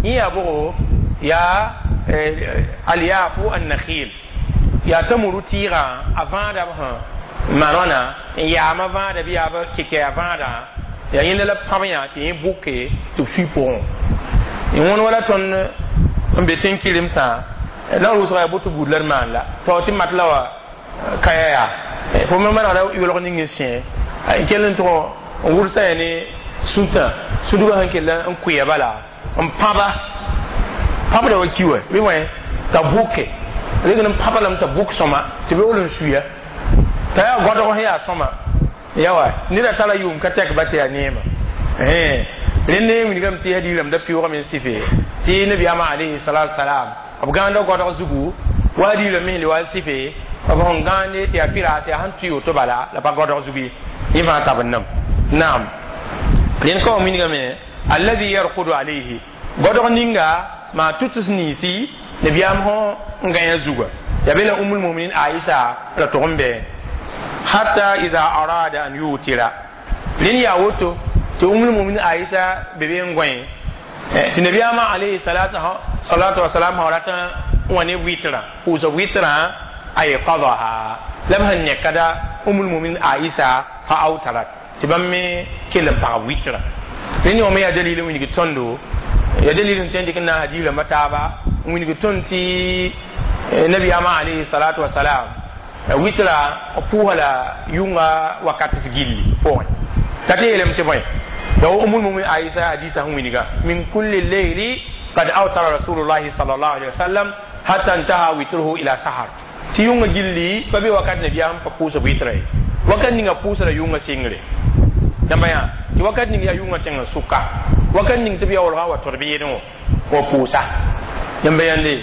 yẽ yaa bʋgo yaa alyafu annakhil yaa tamuru tɩɩgã a vãada b sẽn maan wãna n yaama vãada bɩ yaa b kɩkɛa vãadã yaa yẽnda la pãb yã tɩ yẽ bʋke tɩ b sui pʋgẽ wõn wala tõnd n be tẽn-kɩremsã la rʋʋsga yaa boto buud la d maan la tao tɩ mat la wa kaya yaa Fo me manegda yolg ning n sẽ n kell n tʋg n wʋlsa ya ne sũtã sũdgã sẽn kell n kʋɩa bala n pãba pãbda wa ki wa bɩ wẽ t'a bʋke reg n pãba lame t'a bʋk sõma tɩ beool n suya t'a yaa gõdg sẽn yaa sõma yawa neda tara yʋʋm ka tɛk ba tɩ yaa neema. Rẽnd wilgame tɩ hadiirame da pɩʋʋgame n sɩfe tɩ nabiyaamã alayhi salatu salam b gãanda gõdg zugu wa hadiirame me le wa sɩfe b sẽn gãande tɩ yaa pɩraas yaa sẽn tʋɩ woto bala la pa gõdg zugu ye yẽ fãa tab n nam naam. Rẽnd ka wa wilgame alladhi yarkudu alayhi gõdg ninga maa tʋts ninsi nabiyaam sẽn gãyã zuga ya be la umul muminin Aisha la tʋg n bɩ hatta iza arada an yutira rẽnd yaa woto tɩ umul muminin Aisha be be n gõe tɩ nabiyaamã alayhi salatu salatu wasalam sã rat n wa ne wɩtrã pʋʋsa wɩtrã ayqadaha la b sẽn nekada umul muminin Aisha fa awtarat tɩ bãmb me kell n pag wɩtrã. Rẽnd wã me yaa dalil n wilg tõndo ya dalil n tõe n dɩk n na n hadiirãmbã taaba n wilg tõnd tɩ nabiyaamã alayhi salatu wasalam wɩtra pʋʋsa la yʋnga wakat gilli pʋgẽ t'a tɩ yeelame tɩ bõe ya umul mumin Aisha hadisa sẽn wilga min kulli leyli qad awtara rasulullahi sallallahu alaihi wasallam hatta intaha witruhu ila sahar tɩ yʋnga gilli pa be wakat nabiyaam pa pʋʋsa wɩtra ye wakat ninga pʋʋsa la yʋnga sɩngre dãmba yã tɩ wakat ning yaa yʋnga tẽng sʋka wakat ning tɩ b yaoolgã wa tod beedẽ wã wa pʋʋsa yãmba yãnde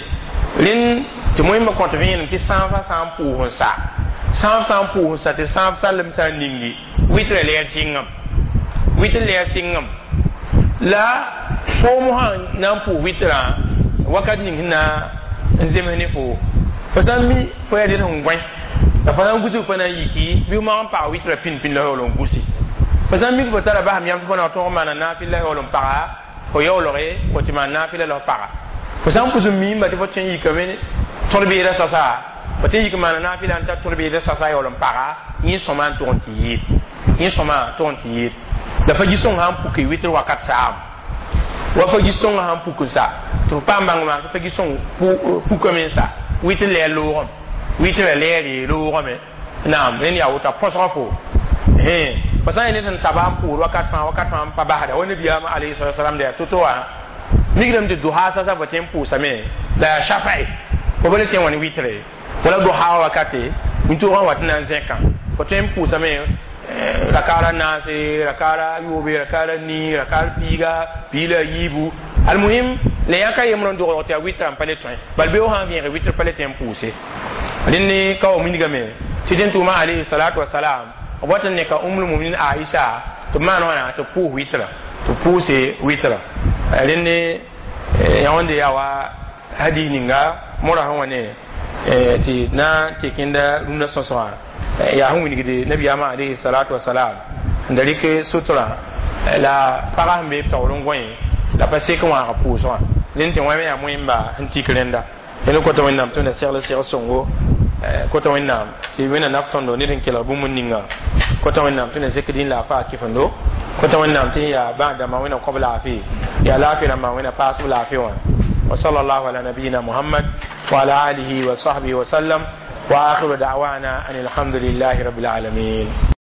rẽnd tɩ wẽmba kõt vẽenem tɩ sãafã sã n pʋʋs n sa sãaf sã n pʋʋs n sa tɩ sãaf sallem sã n ningi wɩtrã lɛɛr sɩngame wɩtr lɛɛr sɩngame la foom sã na n pʋʋs wɩtrã wakat ning sẽn na n zems ne fo fo sã n mi fo yaa ned sẽn gõe la fo sã n gusg fo na n yiki bɩ mag n pag wɩtrã pĩn pĩn la yaool n gusi fo sã n mik fo tara basem yãmb tɩ fo na tõog n maana naafɩl la yaool n paga fo yaoolge fo tɩ maan naafɩla la f paga fo sã n pʋs n miimba tɩ fo tõe n yikame tõd-beedã sasa fo tɩ n yik maana naafɩla n tar tõd-beedã sasa yaool n paga yẽ sõma n tʋg n tɩ yɩɩd yẽ sõma tʋg n tɩ yɩɩd la fa gi-sõngã sãn puke wɩtr wakat saam wa fa gi-sõngã sãn puk n sa tɩ f paam bãng maa tɩ fa gi-sõng pukame n sa wɩtr lɛɛr loogame wɩtrã lɛɛre loogame naam rẽnd yaa woto a põsga fo fo sã n yaa ned sẽn taba n pʋʋd wakat fãa wakat fãa n pa basda wa nabiyaamã alayhi salatu wasalam da yaa to-to wã migrame tɩ duha sasa fo tõe n pʋʋsame la yaa shafa'i fo pa le tõe n wa ne wɩtre wala duha wakate wĩntoogã wat n na n zẽkã fo tõe n pʋʋsame rakaara naase rakaara yoobe rakaara nii rakaar piiga piig la a yiibu almuhim la yãka yembre n dogdg tɩ yaa wɩtrã n pa le tõe bal beoog sã n vẽege wɩtr pa le tõe n pʋʋse rẽnd ne ka wa wilgame tɩ tẽn tʋʋma alayhi salatu wasalam b wat n neka umul muminin Aisha tɩ b maan wãna tɩ b pʋʋs wɩtrã tɩ b pʋʋse wɩtrã rẽnd ne yã wẽnde yaa wa hadis ninga mora sẽn wa ne tɩ na n tekẽnda rũndã sõsgã yaa sẽn wilgde nabiyaamã alayhi salatu wasalam n da rɩk sutra la pagã sẽn be b taoor n gõe la pa sek n wãag pʋʋsgã rẽnd tɩ wã me yaa moẽmba sẽn tik rẽnda rẽnd kota Wẽnnaam tɩ wẽnna segl segl sõngo kota Wẽnnaam tɩ wẽnna naf tõndo ned n kelg bũmb ninga kota Wẽnnaam tɩ na zek dĩn la a faa kɩfendo kota Wẽnnaam tɩ yaa bãag-dãmbã Wẽnna kõb laafɩ yaa laafɩ rãmbã Wẽnna paasb laafɩ wã وصلى الله على نبينا محمد وعلى آله وصحبه وسلم وآخر دعوانا أن الحمد لله رب العالمين.